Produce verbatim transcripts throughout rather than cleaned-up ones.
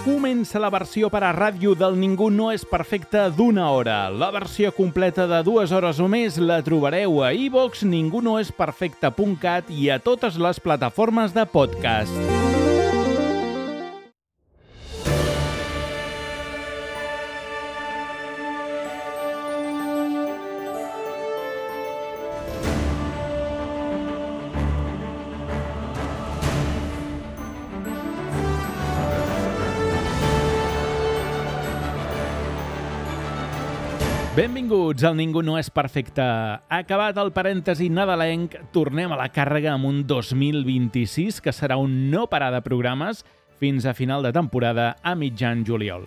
Comença la versió per a ràdio del Ningú no és perfecte d'una hora. La versió completa de dues hores o més la trobareu a iVox, ningú no és perfecte punt cat i a totes les plataformes de podcast. Benvinguts al Ningú no és perfecte. Acabat el parèntesi nadalenc, tornem a la càrrega amb un dos mil vint-i-sis que serà un no parar de programes fins a final de temporada a mitjan juliol.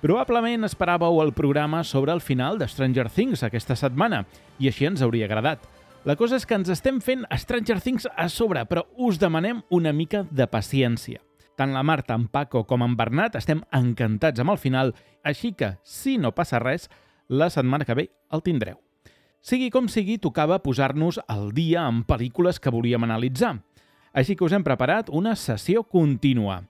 Probablement esperàveu el programa sobre el final de Stranger Things aquesta setmana, i així ens hauria agradat. La cosa és que ens estem fent Stranger Things a sobre, però us demanem una mica de paciència. Tant la Marta, en Paco com en Bernat estem encantats amb el final, així que, si no passa res, la setmana que ve el tindreu. Sigui com sigui, tocava posar-nos al dia amb pel·lícules que volíem analitzar. Així que us hem preparat una sessió contínua.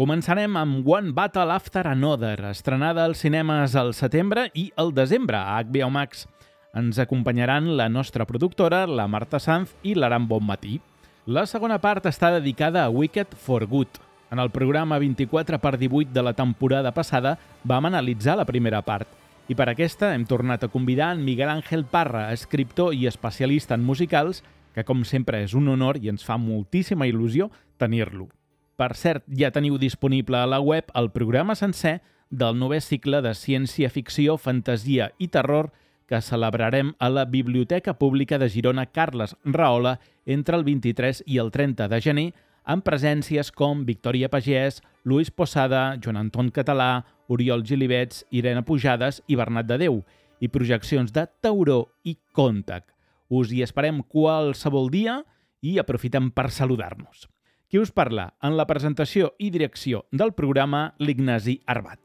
Començarem amb One Battle After Another, estrenada als cinemes al setembre i al desembre a H B O Max. Ens acompanyaran la nostra productora, la Marta Sanz i l'Aram Bonmatí. La segona part està dedicada a Wicked for Good. En el programa vint-i-quatre per divuit de la temporada passada vam analitzar la primera part. I per aquesta hem tornat a convidar en Miguel Ángel Parra, escriptor i especialista en musicals, que com sempre és un honor i ens fa moltíssima il·lusió tenir-lo. Per cert, ja teniu disponible a la web el programa sencer del novè cicle de ciència-ficció, fantasia i terror que celebrarem a la Biblioteca Pública de Girona Carles Rahola entre el vint-i-tres i el trenta de gener, amb presències com Victòria Pagès, Luis Posada, Joan Anton Català, Oriol Gilibets, Irene Pujades i Bernat de Déu, i projeccions de Tauró i Contac. Us hi esperem qualsevol dia i aprofitem per saludar-nos. Qui us parla? En la presentació i direcció del programa, l'Ignasi Arbat.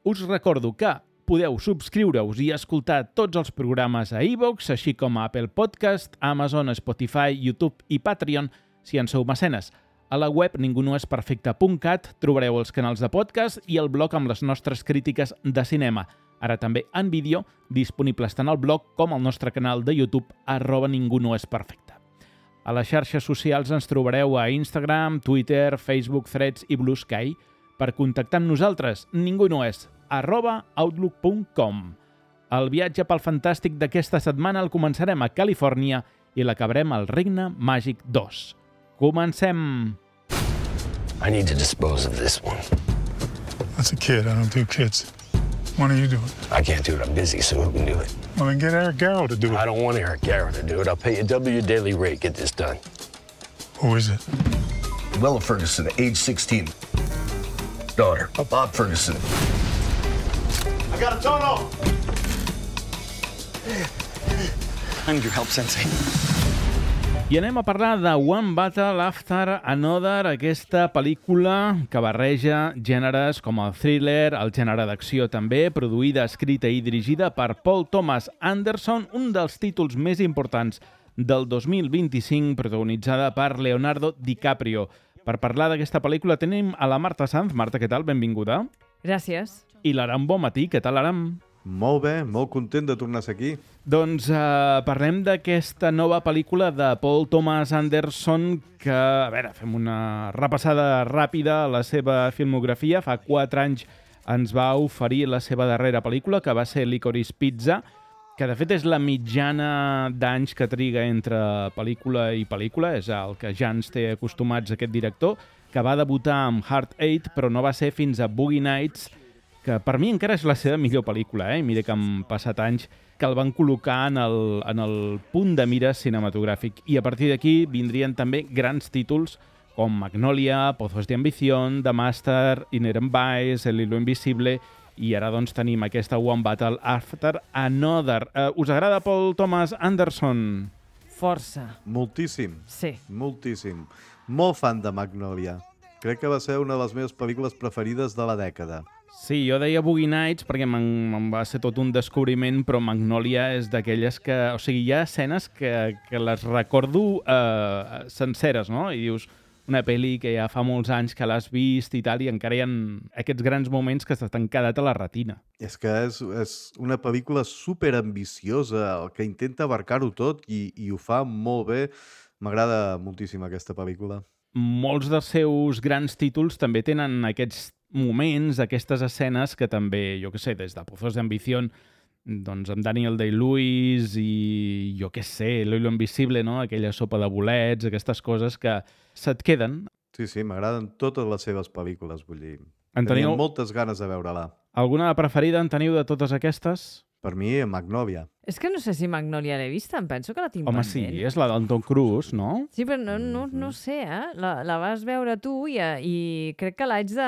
Us recordo que podeu subscriure-us i escoltar tots els programes a iVox, així com a Apple Podcast, Amazon, Spotify, YouTube i Patreon, si en sou mecenes. A la web ningú no és perfecte punt cat trobareu els canals de podcast i el blog amb les nostres crítiques de cinema. Ara també en vídeo, disponibles tant al blog com al nostre canal de YouTube, arroba ningú no és perfecte. A les xarxes socials ens trobareu a Instagram, Twitter, Facebook, Threads i Blue Sky. Per contactar amb nosaltres, ningú no és, arroba outlook punt com. El viatge pel fantàstic d'aquesta setmana el començarem a Califòrnia i l'acabarem al Regne Màgic dos. Comencem! I need to dispose of this one. That's a kid. I don't do kids. Why don't you do it? I can't do it. I'm busy, so who can do it? Well, then get Eric Garrow to do it. I don't want Eric Garrow to do it. I'll pay you double your daily rate. Get this done. Who is it? Willa Ferguson, age sixteen. Daughter, Bob Ferguson. I got a tono! I need your help, Sensei. I anem a parlar de One Battle After Another, aquesta pel·lícula que barreja gèneres com el thriller, el gènere d'acció també, produïda, escrita i dirigida per Paul Thomas Anderson, un dels títols més importants del dos mil vint-i-cinc, protagonitzada per Leonardo DiCaprio. Per parlar d'aquesta pel·lícula tenim a la Marta Sanz. Marta, què tal? Benvinguda. Gràcies. I l'Aram Bonmatí. Què tal, Aram? Molt bé, molt content de tornar a ser aquí. Doncs eh, parlem d'aquesta nova pel·lícula de Paul Thomas Anderson que, a veure, fem una repassada ràpida a la seva filmografia. Fa quatre anys ens va oferir la seva darrera pel·lícula, que va ser Licorice Pizza, que de fet és la mitjana d'anys que triga entre pel·lícula i pel·lícula, és el que ja ens té acostumats aquest director, que va debutar amb Heart Eight, però no va ser fins a Boogie Nights, que per mi encara és la seva millor pel·lícula, eh? Mira que han passat anys que el van col·locar en el, en el punt de mira cinematogràfic. I a partir d'aquí vindrien també grans títols com Magnolia, Pozos de Ambición, The Master, Inherent Vice, El hilo invisible, i ara doncs tenim aquesta One Battle After Another. Uh, us agrada Paul Thomas Anderson? Força. Moltíssim. Sí. Moltíssim. Molt fan de Magnolia. Crec que va ser una de les meves pel·lícules preferides de la dècada. Sí, jo deia Boogie Nights perquè me'n va ser tot un descobriment, però Magnolia és d'aquelles que... O sigui, hi ha escenes que, que les recordo eh, senceres, no? I dius, una pel·li que ja fa molts anys que l'has vist i tal, i encara hi ha aquests grans moments que t'han quedat a la retina. És que és, és una pel·lícula superambiciosa, que intenta abarcar-ho tot i, i ho fa molt bé. M'agrada moltíssim aquesta pel·lícula. Molts dels seus grans títols també tenen aquests moments, aquestes escenes que també, jo què sé, des de Pozos de Ambición, doncs amb Daniel Day-Lewis i jo què sé, Lo Invisible, no? Aquella sopa de bolets, aquestes coses que se't queden. Sí, sí, m'agraden totes les seves pel·lícules, vull dir. En Tenia teniu moltes ganes de veure-la. alguna preferida, en teniu de totes aquestes? Per mi, Magnolia. És que no sé si Magnolia l'he vista, em penso que la tinc Home, pendent. sí, és la del Tom Cruise, no? Sí, però no, no, no sé, eh? La, la vas veure tu i, i crec que l'haig de,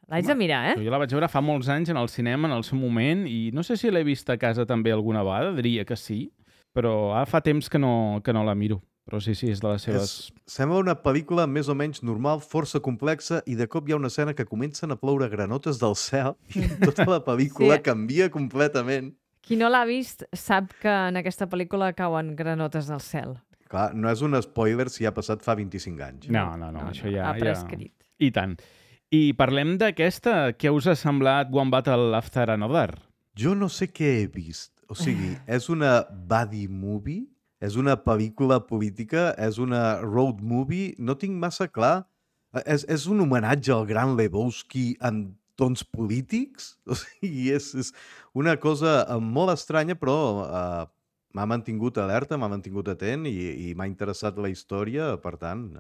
l'haig de mirar, eh? Jo la vaig veure fa molts anys en el cinema, en el seu moment, i no sé si l'he vist a casa també alguna vegada, diria que sí, però ara fa temps que no, que no la miro. Però sí, sí, és de les seves... És, sembla una pel·lícula més o menys normal, força complexa, i de cop hi ha una escena que comencen a ploure granotes del cel i tota la pel·lícula Sí. canvia completament. Qui no l'ha vist sap que en aquesta pel·lícula cauen granotes del cel. Clar, no és un spoiler si ha passat fa vint-i-cinc anys. No, no, no, No, això no, ja... ha prescrit. Ja... I tant. I parlem d'aquesta. Què us ha semblat One Battle After Another? Jo no sé què he vist. O sigui, és una buddy movie? És una pel·lícula política? És una road movie? No tinc massa clar. És, és un homenatge al gran Lebowski en tons polítics? O sigui, és, és una cosa eh, molt estranya, però eh, m'ha mantingut alerta, m'ha mantingut atent i, i m'ha interessat la història. Per tant,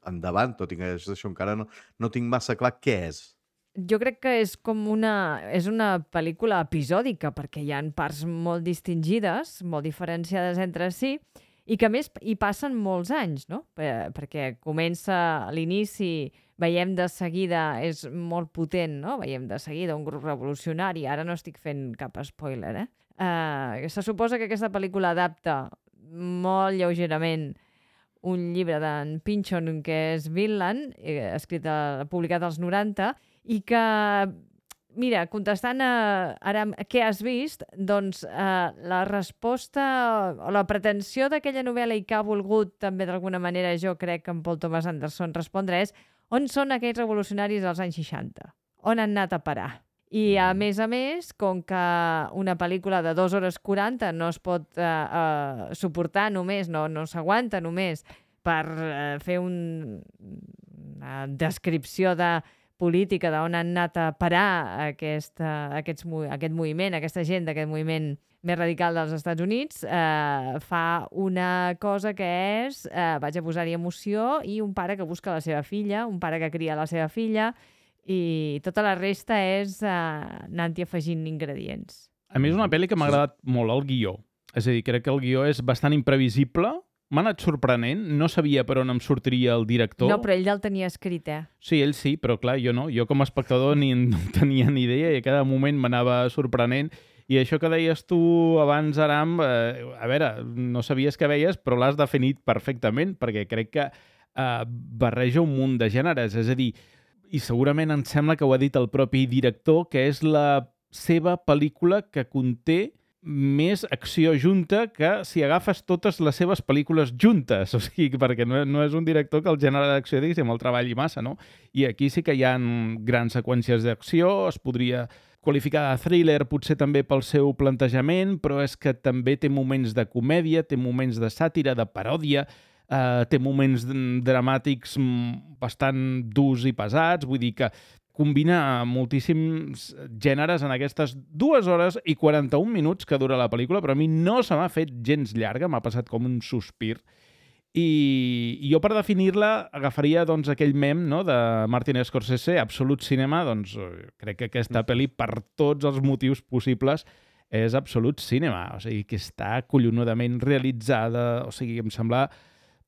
endavant, tot i que això encara no, no tinc massa clar què és. Jo crec que és com una, és una pel·lícula episòdica, perquè hi ha parts molt distingides, molt diferenciades entre si, i que a més hi passen molts anys, no? Per, perquè comença a l'inici, veiem de seguida, és molt potent, no? Veiem de seguida un grup revolucionari, ara no estic fent cap spoiler, eh? Uh, se suposa que aquesta pel·lícula adapta molt lleugerament un llibre d'en Pynchon, que és Vinland, eh, escrit, a, publicat als noranta, i que, mira, contestant a ara què has vist, doncs eh, la resposta o la pretensió d'aquella novel·la i que ha volgut també d'alguna manera, jo crec que en Paul Thomas Anderson respondre és on són aquells revolucionaris dels anys seixanta? On han anat a parar? I a més a més, com que una pel·lícula de dues hores quaranta no es pot eh, eh, suportar només, no, no s'aguanta només per eh, fer un, una descripció de política d'on han anat a parar aquesta, aquests, aquest moviment, aquesta gent d'aquest moviment més radical dels Estats Units, eh, fa una cosa que és, eh, vaig a posar-hi emoció, i un pare que busca la seva filla, un pare que cria la seva filla, i tota la resta és eh, anar-hi afegint ingredients. A mi és una pel·li que m'ha agradat molt el guió. És a dir, crec que el guió és bastant imprevisible, m'ha anat sorprenent, no sabia per on em sortiria el director. No, però ell ja el tenia escrit, eh? Sí, ell sí, però clar, jo no. Jo com a espectador ni no tenia ni idea i a cada moment m'anava sorprenent. I això que deies tu abans, Aram, eh, a veure, no sabies què veies, però l'has definit perfectament, perquè crec que eh, barreja un munt de gèneres. És a dir, i segurament em sembla que ho ha dit el propi director, que és la seva pel·lícula que conté més acció junta que si agafes totes les seves pel·lícules juntes. O sigui, perquè no, no és un director que el gènere d'acció, diguéssim, el treballi massa, no? I aquí sí que hi ha grans seqüències d'acció, es podria qualificar de thriller potser també pel seu plantejament, però és que també té moments de comèdia, té moments de sàtira, de paròdia, eh, té moments dramàtics bastant durs i pesats, vull dir que combina moltíssims gèneres en aquestes dues hores i quaranta-un minuts que dura la pel·lícula, però a mi no se m'ha fet gens llarga, m'ha passat com un sospir. I jo per definir-la agafaria doncs, aquell mem, no, de Martin Scorsese, Absolut Cinema, doncs crec que aquesta pel·li per tots els motius possibles és Absolut Cinema, o sigui que està collonudament realitzada, o sigui, em sembla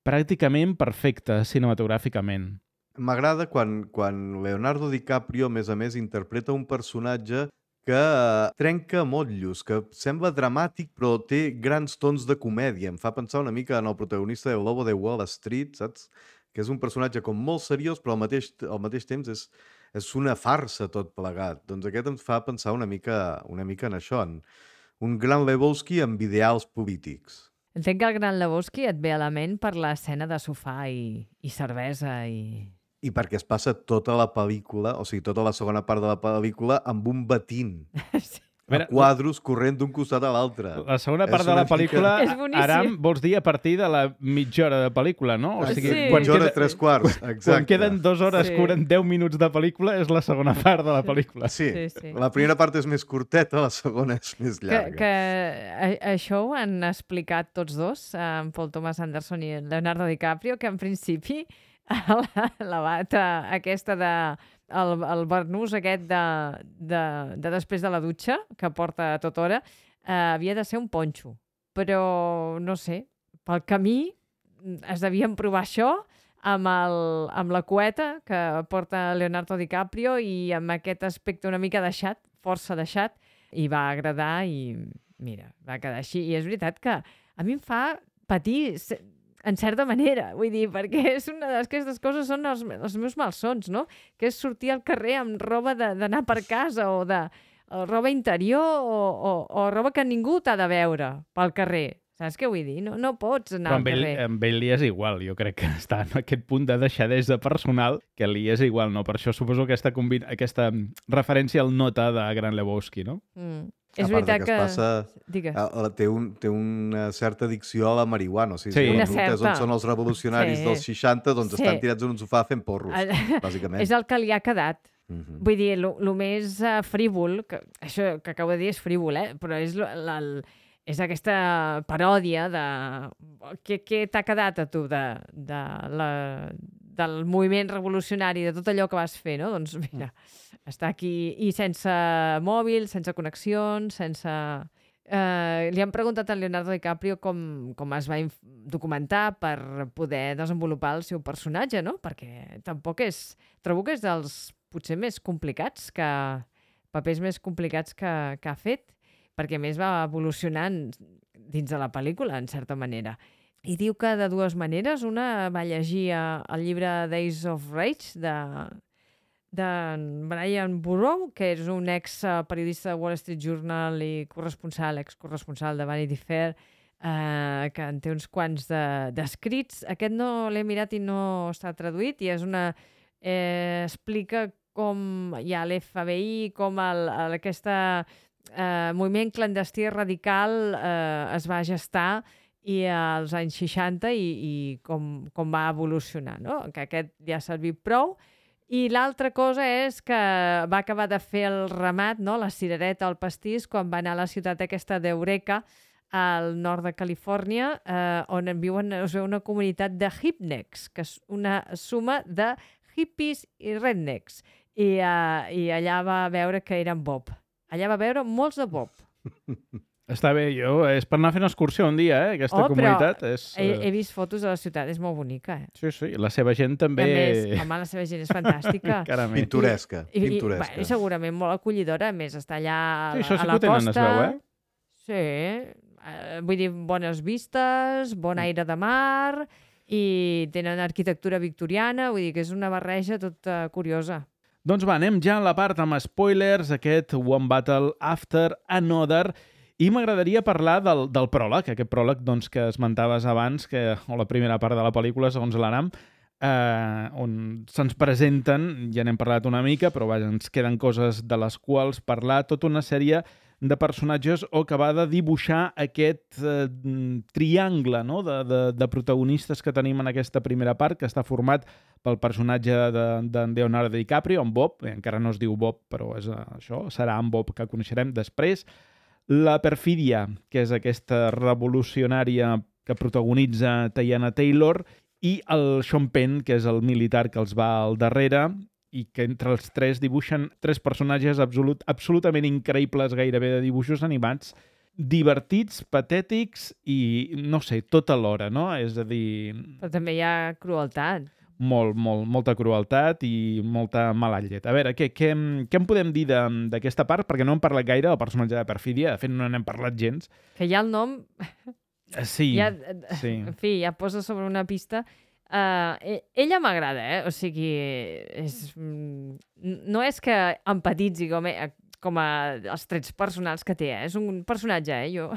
pràcticament perfecta cinematogràficament. M'agrada quan, quan Leonardo DiCaprio, a més a més, interpreta un personatge que eh, trenca motllos, que sembla dramàtic però té grans tons de comèdia. Em fa pensar una mica en el protagonista del Lobo de Wall Street, saps? Que és un personatge com molt seriós, però al mateix, al mateix temps és, és una farsa tot plegat. Doncs aquest em fa pensar una mica, una mica en això, en un gran Lebowski amb ideals polítics. Entenc que el Gran Lebowski et ve a la ment per l'escena de sofà i, i cervesa i... I perquè es passa tota la pel·lícula, o sigui, tota la segona part de la pel·lícula amb un batint. Sí. A veure, quadros corrent d'un costat a l'altre. La segona part de la pel·lícula, mica... Aram, vols dir a partir de la mitja hora de pel·lícula, no? O sigui, sí. quan mitja hora, queda... tres quarts, exacte. Quan queden dues hores, Sí. curen deu minuts de pel·lícula, és la segona part de la pel·lícula. Sí. Sí, sí. La primera part és més curteta, la segona és més Que, llarga. que a, això ho han explicat tots dos, en Paul Thomas Anderson i en Leonardo DiCaprio, que en principi la, la bata aquesta de... El, el barnús aquest de, de, de després de la dutxa, que porta a tota hora, eh, havia de ser un ponxo. Però, no sé, pel camí es devien provar això amb, el, amb la cueta que porta Leonardo DiCaprio i amb aquest aspecte una mica deixat, força deixat, i va agradar i, mira, va quedar així. I és veritat que a mi em fa patir en certa manera, vull dir, perquè és una d'aquestes coses són els, els meus malsons, no? Que és sortir al carrer amb roba d'anar per casa o de o roba interior o, o, o roba que ningú t'ha de veure pel carrer. Saps què vull dir? No, no pots anar Però amb al ell, carrer. amb ell li és igual. Jo crec que està en aquest punt de deixadesa personal que li és igual, no? Per això suposo aquesta, combina, aquesta referència al nota de Gran Lebowski, no? Mm. A És part de veritat que que... es passa... Digues. Ah, Té, un, té una certa addicció a la marihuana. O sigui, Sí. si Una les preguntes certa. on són els revolucionaris Sí. dels seixanta, doncs Sí. estan tirats en un sofà fent porros, Ah, bàsicament. És el que li ha quedat. Mhm. Vull dir, el més uh, frívol, que, això que acabo de dir és frívol, eh? Però és, lo- la, el, és aquesta paròdia de... Què, què t'ha quedat a tu de, de la, del moviment revolucionari, de tot allò que vas fer, no? Doncs mira, està aquí i sense mòbil, sense connexions, sense... Eh, li han preguntat a Leonardo DiCaprio com, com es va inf- documentar per poder desenvolupar el seu personatge, no? Perquè tampoc és... Trobo que és dels potser més complicats, que papers més complicats que, que ha fet, perquè a més va evolucionant dins de la pel·lícula, en certa manera. I diu que de dues maneres. Una va llegir eh, el llibre Days of Rage de, de Brian Burrow, que és un ex-periodista de Wall Street Journal i corresponsal, ex-corresponsal de Vanity Fair, eh, que en té uns quants d'escrits. De, Aquest no l'he mirat i no està traduït, i és una... Eh, explica com hi ha l'F B I, com el, el, aquesta eh, moviment clandestí radical eh, es va gestar i als anys seixanta i, i com, com va evolucionar, no? Que aquest ja ha servit prou. I l'altra cosa és que va acabar de fer el ramat, no? La cirereta, el pastís, quan va anar a la ciutat aquesta d'Eureka, al nord de Califòrnia, eh, on viuen, es veu una comunitat de hipnecks, que és una suma de hippies i rednecks. I, uh, I allà va veure que eren Bob. Allà va veure molts de Bob. Està bé, jo, és per anar fent excursió un dia, eh? Aquesta Oh, però comunitat és... He, eh, he vist fotos de la ciutat, és molt bonica. Eh? Sí, sí, la seva gent també... A més, home, la seva gent és fantàstica. Caramell. Pintoresca, I, i, pintoresca. I, segurament molt acollidora, a més, està allà a, Sí, això a sí la que ho tenen, costa. es veu, eh? Sí, eh, vull dir, bones vistes, bon aire de mar, i tenen arquitectura victoriana, vull dir que és una barreja tota curiosa. Doncs va, anem ja a la part amb spoilers, aquest One Battle After Another, i m'agradaria parlar del, del pròleg, aquest pròleg doncs, que esmentaves abans, que, o la primera part de la pel·lícula, segons l'Aram, eh, on se'ns presenten, ja n'hem parlat una mica, però vaja, ens queden coses de les quals parlar, tota una sèrie de personatges o que va de dibuixar aquest eh, triangle, no? de, de, de protagonistes que tenim en aquesta primera part, que està format pel personatge d'en de, de Leonardo DiCaprio, en Bob, eh, encara no es diu Bob, però és eh, això, serà en Bob que coneixerem després. La perfídia, que és aquesta revolucionària que protagonitza Teyana Taylor, i el Sean Penn, que és el militar que els va al darrere, i que entre els tres dibuixen tres personatges absolut, absolutament increïbles, gairebé de dibuixos animats, divertits, patètics i, no sé, tot alhora, no? És a dir... Però també hi ha crueltat. Molt, molt, molta crueltat i molta mala llet. A veure, què, què, què en podem dir d'aquesta part? Perquè no hem parlat gaire del personatge de perfídia, de fet no n'hem parlat gens. Que ja el nom... Sí, ja, sí. En fi, ja posa sobre una pista... Uh, ella m'agrada, eh? O sigui, és, no és que empatitzi com ell, com a els trets personals que té. Eh? És un personatge, eh? Jo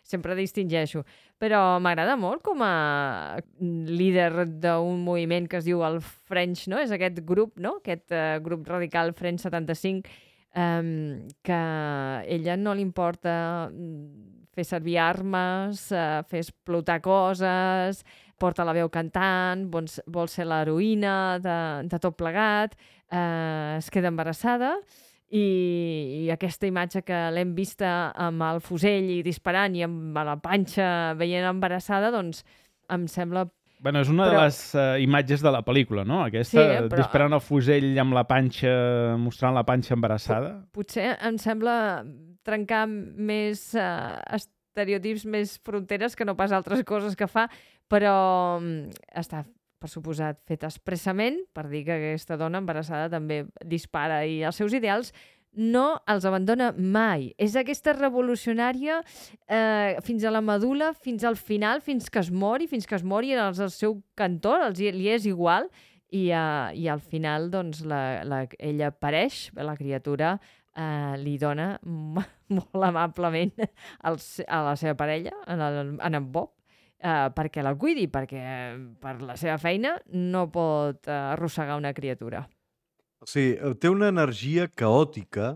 sempre distingeixo. Però m'agrada molt com a líder d'un moviment que es diu el French, no? És aquest grup, no? Aquest uh, grup radical French setanta-cinc, um, que a ella no li importa fer servir armes, uh, fer explotar coses, porta la veu cantant, vol, vol ser l'heroïna de, de tot plegat, uh, es queda embarassada i, i aquesta imatge que l'hem vista amb el fusell i disparant i amb la panxa veient embarassada, doncs em sembla... Bueno, és una però... de les uh, imatges de la pel·lícula, no? Aquesta, sí, eh, però... disparant el fusell amb la panxa, mostrant la panxa embarassada. Potser em sembla trencar més uh, estereotips, més fronteres que no pas altres coses que fa, però um, està, per suposat, fet expressament per dir que aquesta dona embarassada també dispara i els seus ideals no els abandona mai. És aquesta revolucionària eh, fins a la medul·la, fins al final, fins que es mori, fins que es mori els al seu cantó, els, li és igual, i, uh, i al final doncs, la, la, ella apareix, la criatura eh, li dona molt amablement al, a la seva parella, en, el, en en Bob, Uh, perquè la cuidi, perquè per la seva feina no pot uh, arrossegar una criatura. O sigui, té una energia caòtica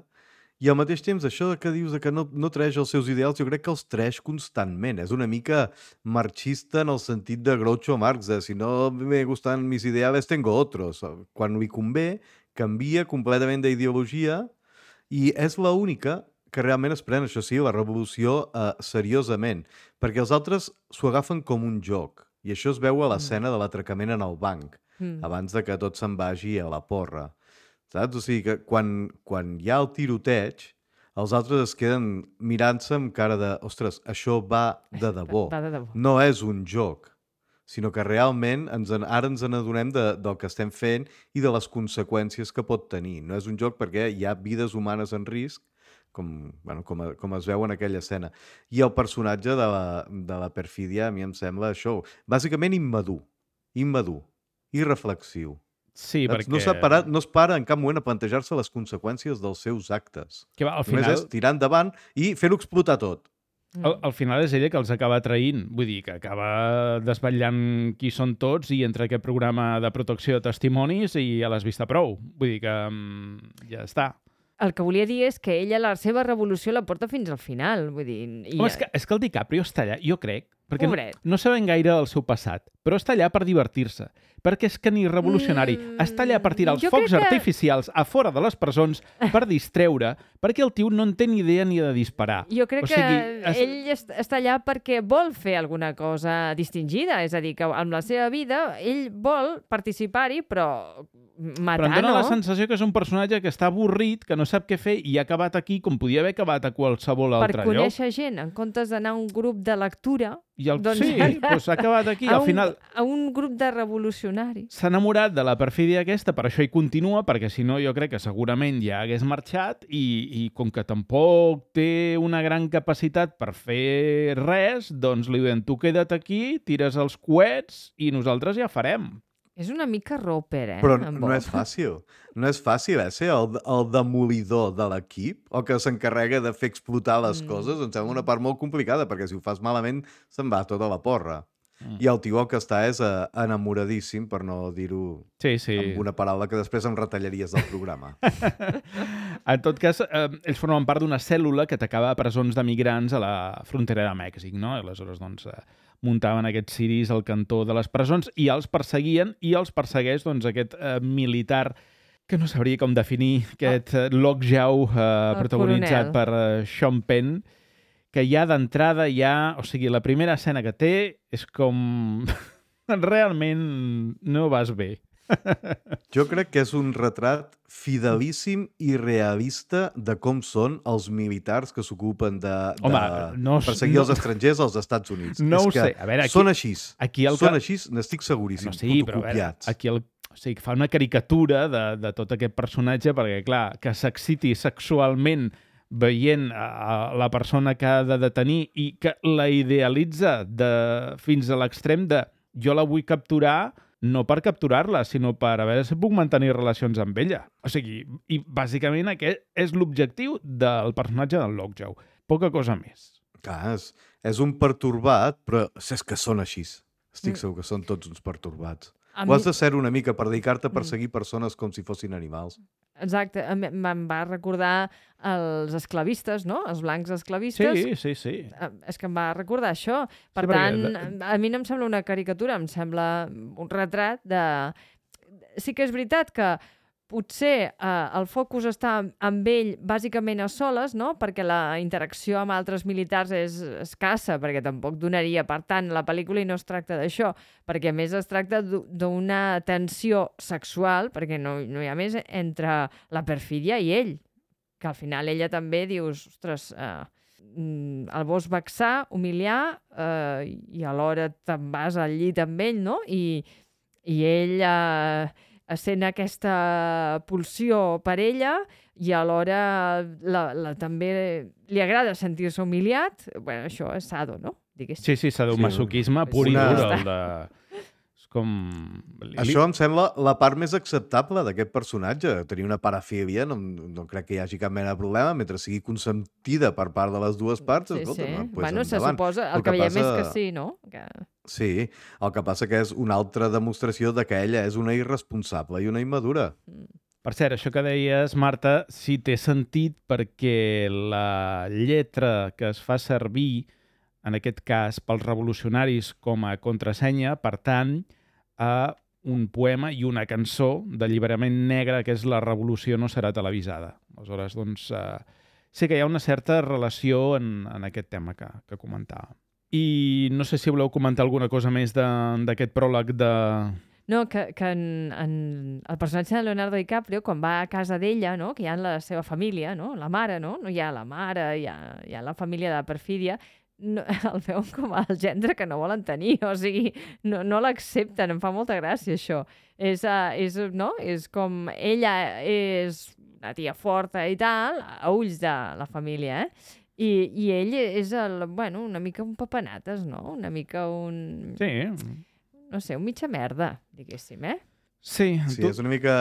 i al mateix temps això que dius de que no, no treix els seus ideals, jo crec que els treix constantment. És una mica marxista en el sentit de Groucho Marx, de si no me gustan mis ideales, tengo otros. Quan li convé, canvia completament d'ideologia i és l'única que realment es pren, això sí, la revolució eh, seriosament, perquè els altres s'ho agafen com un joc, i això es veu a l'escena de l'atracament en el banc, mm. abans de que tot se'n vagi a la porra. Saps? O sigui que quan, quan hi ha el tiroteig, els altres es queden mirant-se amb cara de ostres, això va de debò. Va de debò. No és un joc, sinó que realment ens en, ara ens n'adonem de, del que estem fent i de les conseqüències que pot tenir. No és un joc perquè hi ha vides humanes en risc, com, bueno, com, a, com es veu en aquella escena. I el personatge de la, de la perfídia a mi em sembla això, bàsicament immadur, immadur, irreflexiu. Sí, perquè... No, para, no es para en cap moment a plantejar-se les conseqüències dels seus actes. Que va, al Només final... és tirar endavant i fer-ho explotar tot. Al, al final és ella que els acaba traint, vull dir, que acaba desvetllant qui són tots i entra aquest programa de protecció de testimonis i ja l'has vista prou. Vull dir que um, ja està. El que volia dir és que ella la seva revolució la porta fins al final. Vull dir, i... Home, és, que, és que el DiCaprio està allà, jo crec, perquè no, Pobret. no sabem gaire del seu passat, però està allà per divertir-se, perquè és que ni revolucionari, Mm, està allà per tirar els jo focs crec que- artificials a fora de les presons per distreure, perquè el tio no en té ni idea ni de disparar. Jo crec O sigui, que es- ell est està allà perquè vol fer alguna cosa distingida, és a dir, que amb la seva vida ell vol participar-hi, però matar Però em dóna no. la sensació que és un personatge que està avorrit, que no sap què fer i ha acabat aquí com podia haver acabat a qualsevol Per altre lloc. conèixer gent, en comptes d'anar a un grup de lectura, I el... doncs sí, ara- doncs ha acabat aquí. a Al un, final a un grup de revolucionaris. s'ha enamorat de la perfídia aquesta, per això hi continua, perquè si no jo crec que segurament ja hagués marxat i, i com que tampoc té una gran capacitat per fer res, doncs li diuen, tu queda't aquí, tires els coets i nosaltres ja farem. És una mica roper, eh? Però en no Bob. és fàcil. No és fàcil, eh, ser el, el demolidor de l'equip o que s'encarrega de fer explotar les Mm. coses. Em sembla una part molt complicada, perquè si ho fas malament se'n va tota la porra. Mm. I el tio el que està és eh, enamoradíssim, per no dir-ho Sí, sí. amb una paraula que després em retallaries del programa. En tot cas, eh, ells formen part d'una cèl·lula que atacava a presons de migrants a la frontera de Mèxic, no? I aleshores, doncs, eh, muntaven aquests ciris al cantó de les presons i els perseguien, i els persegueix, doncs, aquest eh, militar que no sabria com definir, aquest eh, Lockjaw, eh, protagonitzat coronel. per eh, Sean Penn, que ja d'entrada ja... O sigui, la primera escena que té és com... Realment no vas bé. Jo crec que és un retrat fidelíssim i realista de com són els militars que s'ocupen de, de Home, no s- perseguir no- els estrangers als Estats Units. No és ho que sé. A veure, aquí- són així. aquí el són que- així, n'estic seguríssim. No, sí, però a veure, fotocopiats. aquí el, o sigui, fa una caricatura de, de tot aquest personatge perquè, clar, que s'exciti sexualment veient a, a la persona que ha de detenir i que la idealitza de, fins a l'extrem de jo la vull capturar no per capturar-la, sinó per a veure si puc mantenir relacions amb ella. O sigui, i bàsicament aquest és l'objectiu del personatge del Lockjaw. Poca cosa més. Clar, és, és un pertorbat, però és que són així. Estic segur que són tots uns pertorbats. A Ho mi- has de ser una mica per dedicar-te a perseguir persones com si fossin animals. Exacte, em me'n va recordar els esclavistes, no? Els blancs esclavistes. Sí, sí, sí. Eh, És que em va recordar això. Per Sí, perquè tant, de- a mi no em sembla una caricatura, em sembla un retrat de... Sí que és veritat que potser eh, el focus està amb ell bàsicament a soles, no? Perquè la interacció amb altres militars és escassa, perquè tampoc donaria, per tant, la pel·lícula i no es tracta d'això, perquè a més es tracta d'u- d'una tensió sexual, perquè no, no hi ha més entre la perfídia i ell, que al final ella també dius, ostres, eh, mm, el vols vexar, humiliar, eh, i alhora te'n vas al llit amb ell, no? I, i ell eh, sent aquesta pulsió per ella i alhora la, la, també li agrada sentir-se humiliat. Bueno, això és sado, no? Diguéssim. Sí, sí, sadomasoquisme pur i Una- dur. El de... És com... li- Això em sembla la part més acceptable d'aquest personatge. Tenir una parafília no, no crec que hi hagi cap mena de problema, mentre sigui consentida per part de les dues parts. Sí, escolta, sí. pues Bueno, se endavant. suposa, el, El que, que veiem és passa- que sí, no? Que... Sí, el que passa que és una altra demostració de que ella és una irresponsable i una immadura. Per cert, això que deies, Marta, sí té sentit perquè la lletra que es fa servir, en aquest cas pels revolucionaris com a contrasenya, pertany a un poema i una cançó d'alliberament negre que és La revolució no serà televisada. Aleshores, doncs, eh, sí que hi ha una certa relació en, en aquest tema que, que comentava. I no sé si voleu comentar alguna cosa més de- d'aquest pròleg de... No, que, que en, en el personatge de Leonardo DiCaprio, quan va a casa d'ella, no? Que hi ha la seva família, no? La mare, no? No hi ha la mare, hi ha, hi ha la família de perfídia, no, el veuen com el gendre que no volen tenir, o sigui, no, no l'accepten, em fa molta gràcia això. És, uh, és, no? És com ella és una tia forta i tal, a ulls de la família, eh? I, i ell és el, bueno, una mica un papanates, no? Una mica un... Sí, No sé, un mitja merda, diguéssim, eh? sí. Sí, tu... és una mica...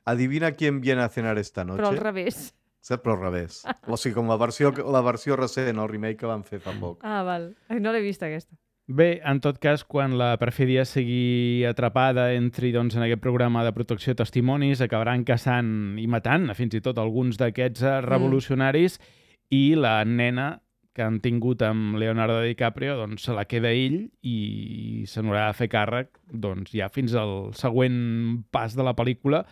Adivina quién viene a cenar esta noche. Però al revés. Saps? Però al revés. O sigui, com la versió, la versió recent, el remake que van fer fa poc. Ah, val. Ai, no l'he vist, aquesta. Bé, en tot cas, quan la perfídia sigui atrapada, entri doncs, en aquest programa de protecció de testimonis, acabaran caçant i matant fins i tot alguns d'aquests eh, revolucionaris i la nena que han tingut amb Leonardo DiCaprio doncs, se la queda ell i se n'haurà de fer càrrec doncs, ja fins al següent pas de la pel·lícula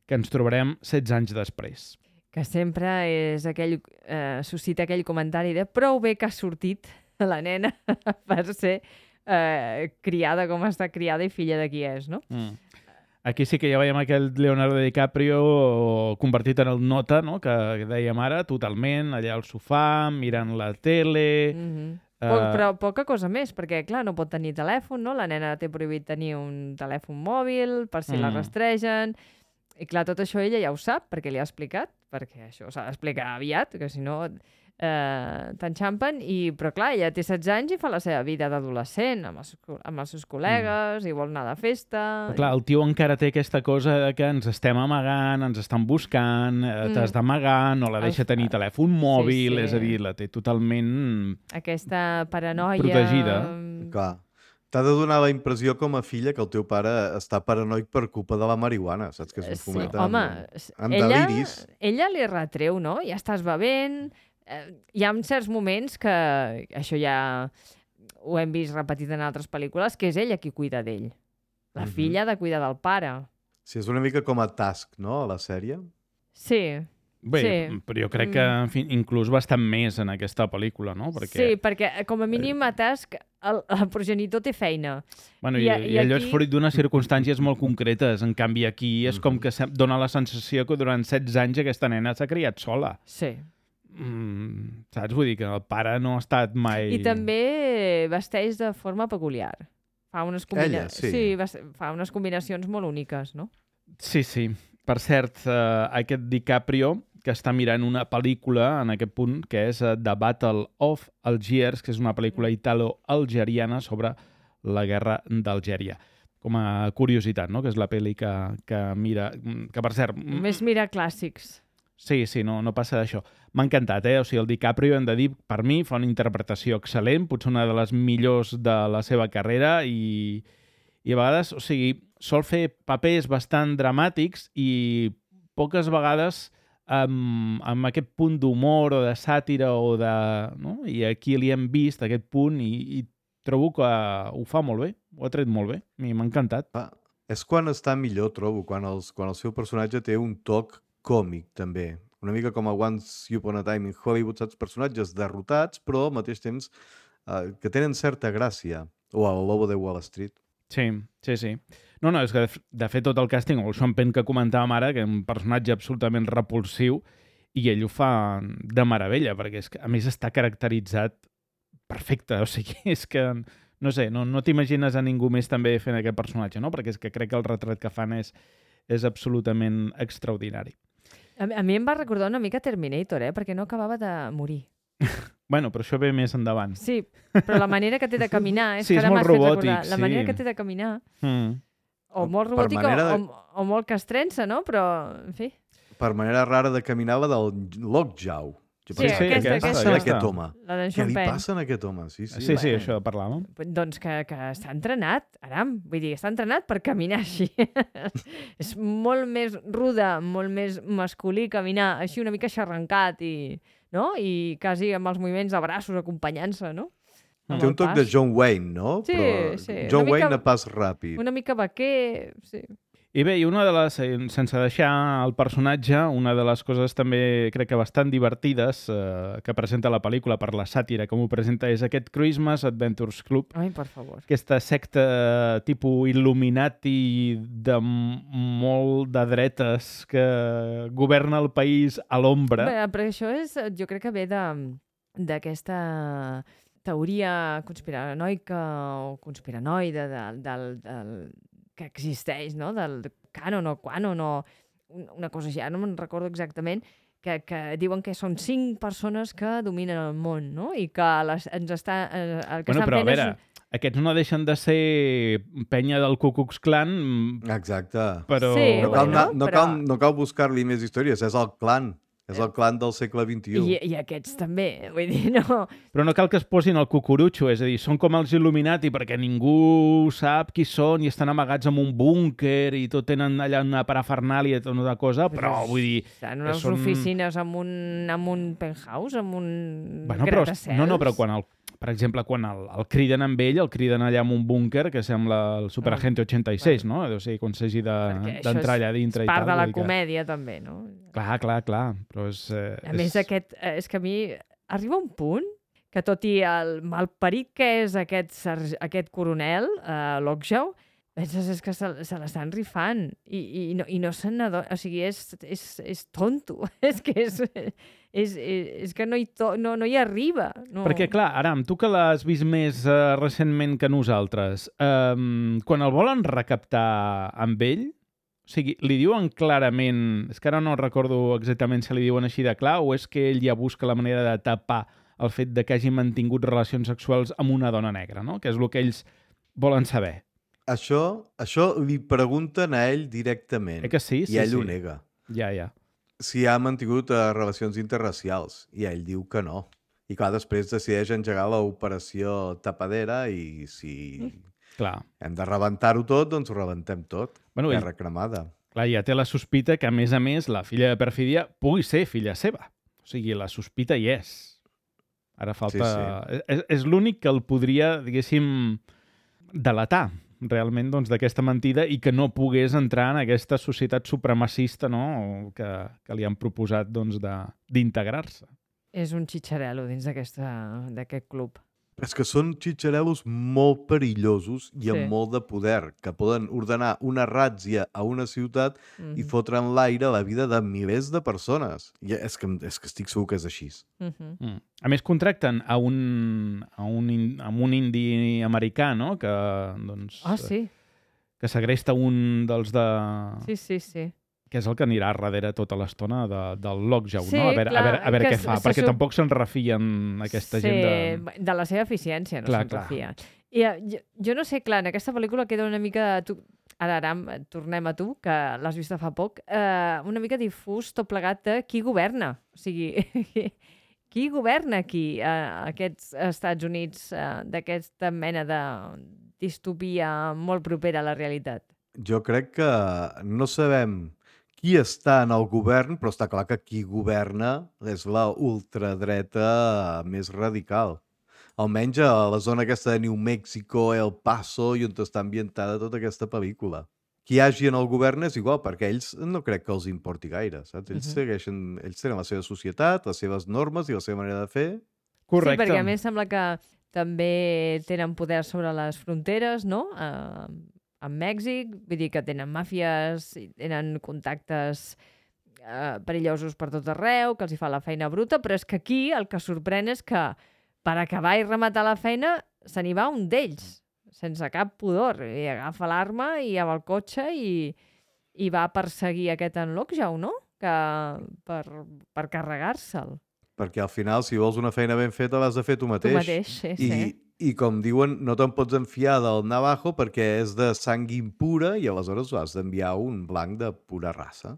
que ens trobarem setze anys després. Que sempre és aquell, eh, suscita aquell comentari de prou bé que ha sortit la nena per ser eh, criada com està criada i filla de qui és, no? Mm. Aquí sí que ja veiem aquell Leonardo DiCaprio convertit en el nota, no? que dèiem ara, totalment, allà al sofà, mirant la tele... Mm -hmm. Eh, Poc, però poca cosa més, perquè, clar, no pot tenir telèfon, no? La nena té prohibit tenir un telèfon mòbil per si mm. la Mm. rastregen... I, clar, tot això ella ja ho sap, perquè li ha explicat, perquè això s'ha d'explicar aviat, que si no eh, t'enxampen, i, però clar, ella té setze anys i fa la seva vida d'adolescent, amb, els, amb els seus col·legues, mm. i vol anar de festa... Però, clar, el tio encara té aquesta cosa de que ens estem amagant, ens estan buscant, eh, Mm. t'has d'amagar, no la deixa El- tenir telèfon mòbil, sí. és a dir, la té totalment... Aquesta paranoia... Protegida. mm, Clar. T'ha de donar la impressió com a filla que el teu pare està paranoic per culpa de la marihuana, saps? Que es Sí, fomenta home, amb, amb ella, deliris. ella li retreu, no? Ja estàs bevent... Eh, hi ha certs moments que això ja ho hem vist repetit en altres pel·lícules, que és ella qui cuida d'ell. La Mhm. filla ha de cuidar del pare. Sí, és una mica com a Task, no?, a la sèrie. Sí, Bé, Sí. però jo crec que, en fi, inclús bastant més en aquesta pel·lícula, no? Perquè, sí, perquè eh, com a mínim a Task el, el progenitor té feina. bueno, i i, a- i, i allò aquí- és fruit d'unes circumstàncies molt concretes. En canvi, aquí és com que se- dona la sensació que durant setze anys aquesta nena s'ha criat sola. Sí. Mm, saps? Vull dir que el pare no ha estat mai... I també vesteix de forma peculiar. Fa unes, combina... Ella, sí. sí, ves- fa unes combinacions molt úniques, no? Sí, sí. Per cert, eh, aquest DiCaprio, que està mirant una pel·lícula en aquest punt, que és eh, The Battle of Algiers, que és una pel·lícula italo-algeriana sobre la guerra d'Algèria. com a curiositat, no? Que és la pel·li que, que mira... Que, per cert... Només mira clàssics. Sí, sí, no, no passa d'això. M'ha encantat, eh? O sigui, el DiCaprio, hem de dir, per mi, fa una interpretació excel·lent, potser una de les millors de la seva carrera i, i a vegades, o sigui, sol fer papers bastant dramàtics i poques vegades amb, amb aquest punt d'humor o de sàtira o de... No? I aquí li hem vist aquest punt i, i trobo que ho fa molt bé, ho ha tret molt bé. A mi m'ha encantat. Ah, és quan està millor, trobo, quan, els, quan el seu personatge té un toc còmic, també. Una mica com a Once Upon a Time in Hollywood, saps? Personatges derrotats, però al mateix temps eh, que tenen certa gràcia. O el Lobo de Wall Street. Sí, sí, sí. No, no, és que de fet tot el càsting, o el Sean Penn que comentàvem ara, que és un personatge absolutament repulsiu, i ell ho fa de meravella, perquè és que, a més està caracteritzat perfecte, o sigui, és que, no sé, no, no t'imagines a ningú més també fent aquest personatge, no? Perquè és que crec que el retrat que fan és, és absolutament extraordinari. A, a mi em va recordar una mica Terminator, eh? Perquè no acabava de morir. Bueno, però això ve més endavant. Sí, però la manera que té de caminar... És sí, que és ara molt m'has fet robòtic, recordar. La sí. manera que té de caminar... Mm. O molt Per robòtica manera de- o, o molt castrença, no? Però, en fi... Per manera rara de caminar la del Lockjaw. Jo Sí, pensava, aquesta, què li aquesta, passa a aquesta. aquest home? La d'en Què Sean li Penn. passa a aquest home? Sí, sí. Sí, sí, bueno. això parlàvem. Doncs que, que està entrenat, aram. Vull dir, està entrenat per caminar així. És molt més ruda, molt més masculí caminar així una mica xarrancat i, no? I quasi amb els moviments de braços acompanyant-se, no? Amb Té el un toc pas. de John Wayne, no? Sí, Però sí, una John mica- Wayne a pas ràpid. Una mica vaquer, sí. I bé, i una de les, eh, sense deixar el personatge, una de les coses també crec que bastant divertides eh, que presenta la pel·lícula per la sàtira com ho presenta és aquest Christmas Adventures Club, Ai, per favor. aquesta secta tipus Illuminati de m- molt de dretes que governa el país a l'ombra. Bé, però això és, jo crec que ve de d'aquesta teoria conspiranoica o conspiranoide del, del, del, que existeix, no? Del canon o quanon o un- una cosa així, ara no me'n recordo exactament, que, que diuen que són cinc persones que dominen el món, no? I que les, ens està, eh, el que Bueno, estan però a fent veure, aquests no deixen de ser penya del Ku Klux Klan, Exacte. però... Sí, No cal, bueno, anar- no però- cal, no cal buscar-li més històries, és el clan. És el clan del segle vint-i-u. I, i aquests també, vull dir, no... Però no cal que es posin el cucurutxo, és a dir, són com els Illuminati perquè ningú sap qui són i estan amagats en un búnquer i tot tenen allà una parafernàlia i tota una cosa, però vull dir... En unes són- oficines amb un, amb un penthouse, amb un Bueno, però, gratacels. no, no, però quan el, per exemple, quan el, el criden amb ell, el criden allà en un búnquer que sembla el Superagente ochenta i seis, no? O sigui, quan s'hagi de- Perquè això d'entrar és- allà dintre és i tal. part de la vull dir que- comèdia, també, no? Clar, clar, clar, però és... Eh, A més, aquest, eh, és que a mi arriba un punt que tot i el malparit que és aquest, serge- aquest coronel, eh, Lockjaw, penses és que se, se l'estan rifant i, i, no, i no se n'adona. O sigui, és, és, és tonto. és que és, és, és, és que no hi, to, no, no hi arriba. No. Perquè, clar, Aram, tu que l'has vist més uh, recentment que nosaltres, um, quan el volen recaptar amb ell, o sigui, li diuen clarament... És que ara no recordo exactament si li diuen així de clar o és que ell ja busca la manera de tapar el fet de que hagi mantingut relacions sexuals amb una dona negra, no? Que és el que ells volen saber. Això, això li pregunten a ell directament. Eh que sí? Sí, I ell sí. ho nega. Ja, ja. Si ha mantingut uh, relacions interracials. I ell diu que no. I clar, després decideix engegar l'operació tapadera i si Clar. hem de rebentar-ho tot, doncs ho rebentem tot. Bueno, ell- Terra cremada. Clar, ja té la sospita que, a més a més, la filla de Perfídia pugui ser filla seva. O sigui, la sospita hi és. Ara falta... Sí, És, és l'únic que el podria, diguéssim, delatar realment doncs, d'aquesta mentida i que no pogués entrar en aquesta societat supremacista, no? que, que li han proposat doncs, de- d'integrar-se. És un xitxarel·lo dins d'aquesta- d'aquest club. És que són xitxarelos molt perillosos i amb Sí. molt de poder, que poden ordenar una ràtzia a una ciutat i Mhm. fotre en l'aire la vida de milers de persones. I és que, és que estic segur que és així. Mhm. Mm. A més, contracten a un, a un, in- a un indi americà, no? que, doncs, Ah, sí. que segresta un dels de... Sí, sí, sí. que és el que anirà darrere tota l'estona de, del Lockjaw, Sí, no? A veure, clar, a veure, a veure que què se- fa, se perquè sup- tampoc se'n refien aquesta sí, gent de... de la seva eficiència, no Clar, se'n clar. refia. I eh, jo, jo no sé, clar, en aquesta pel·lícula queda una mica... Tu, ara, ara, tornem a tu, que l'has vist fa poc, eh, una mica difús tot plegat de qui governa. O sigui, qui governa aquí, a aquests Estats Units, eh, d'aquesta mena de distopia molt propera a la realitat? Jo crec que no sabem qui està en el govern, però està clar que qui governa és la ultradreta més radical. Almenys a la zona aquesta de New Mexico, El Paso, i on està ambientada tota aquesta pel·lícula. Qui hi hagi en el govern és igual, perquè ells no crec que els importi gaire, saps? Ells, Mhm. segueixen, ells tenen la seva societat, les seves normes i la seva manera de fer. Correcte. Sí, perquè a més sembla que també tenen poder sobre les fronteres, no? Uh, amb Mèxic, vull dir que tenen màfies, i tenen contactes uh, perillosos per tot arreu, que els hi fa la feina bruta, però és que aquí el que sorprèn és que per acabar i rematar la feina se n'hi va un d'ells, sense cap pudor, i agafa l'arma i amb el cotxe i, i va perseguir aquest en Lockjaw, no? Que per, per carregar-se'l. Perquè al final, si vols una feina ben feta, l'has de fer tu mateix. Tu mateix, sí, I, sí. I com diuen, no te'n pots enfiar del navajo perquè és de sang impura i aleshores has d'enviar un blanc de pura raça.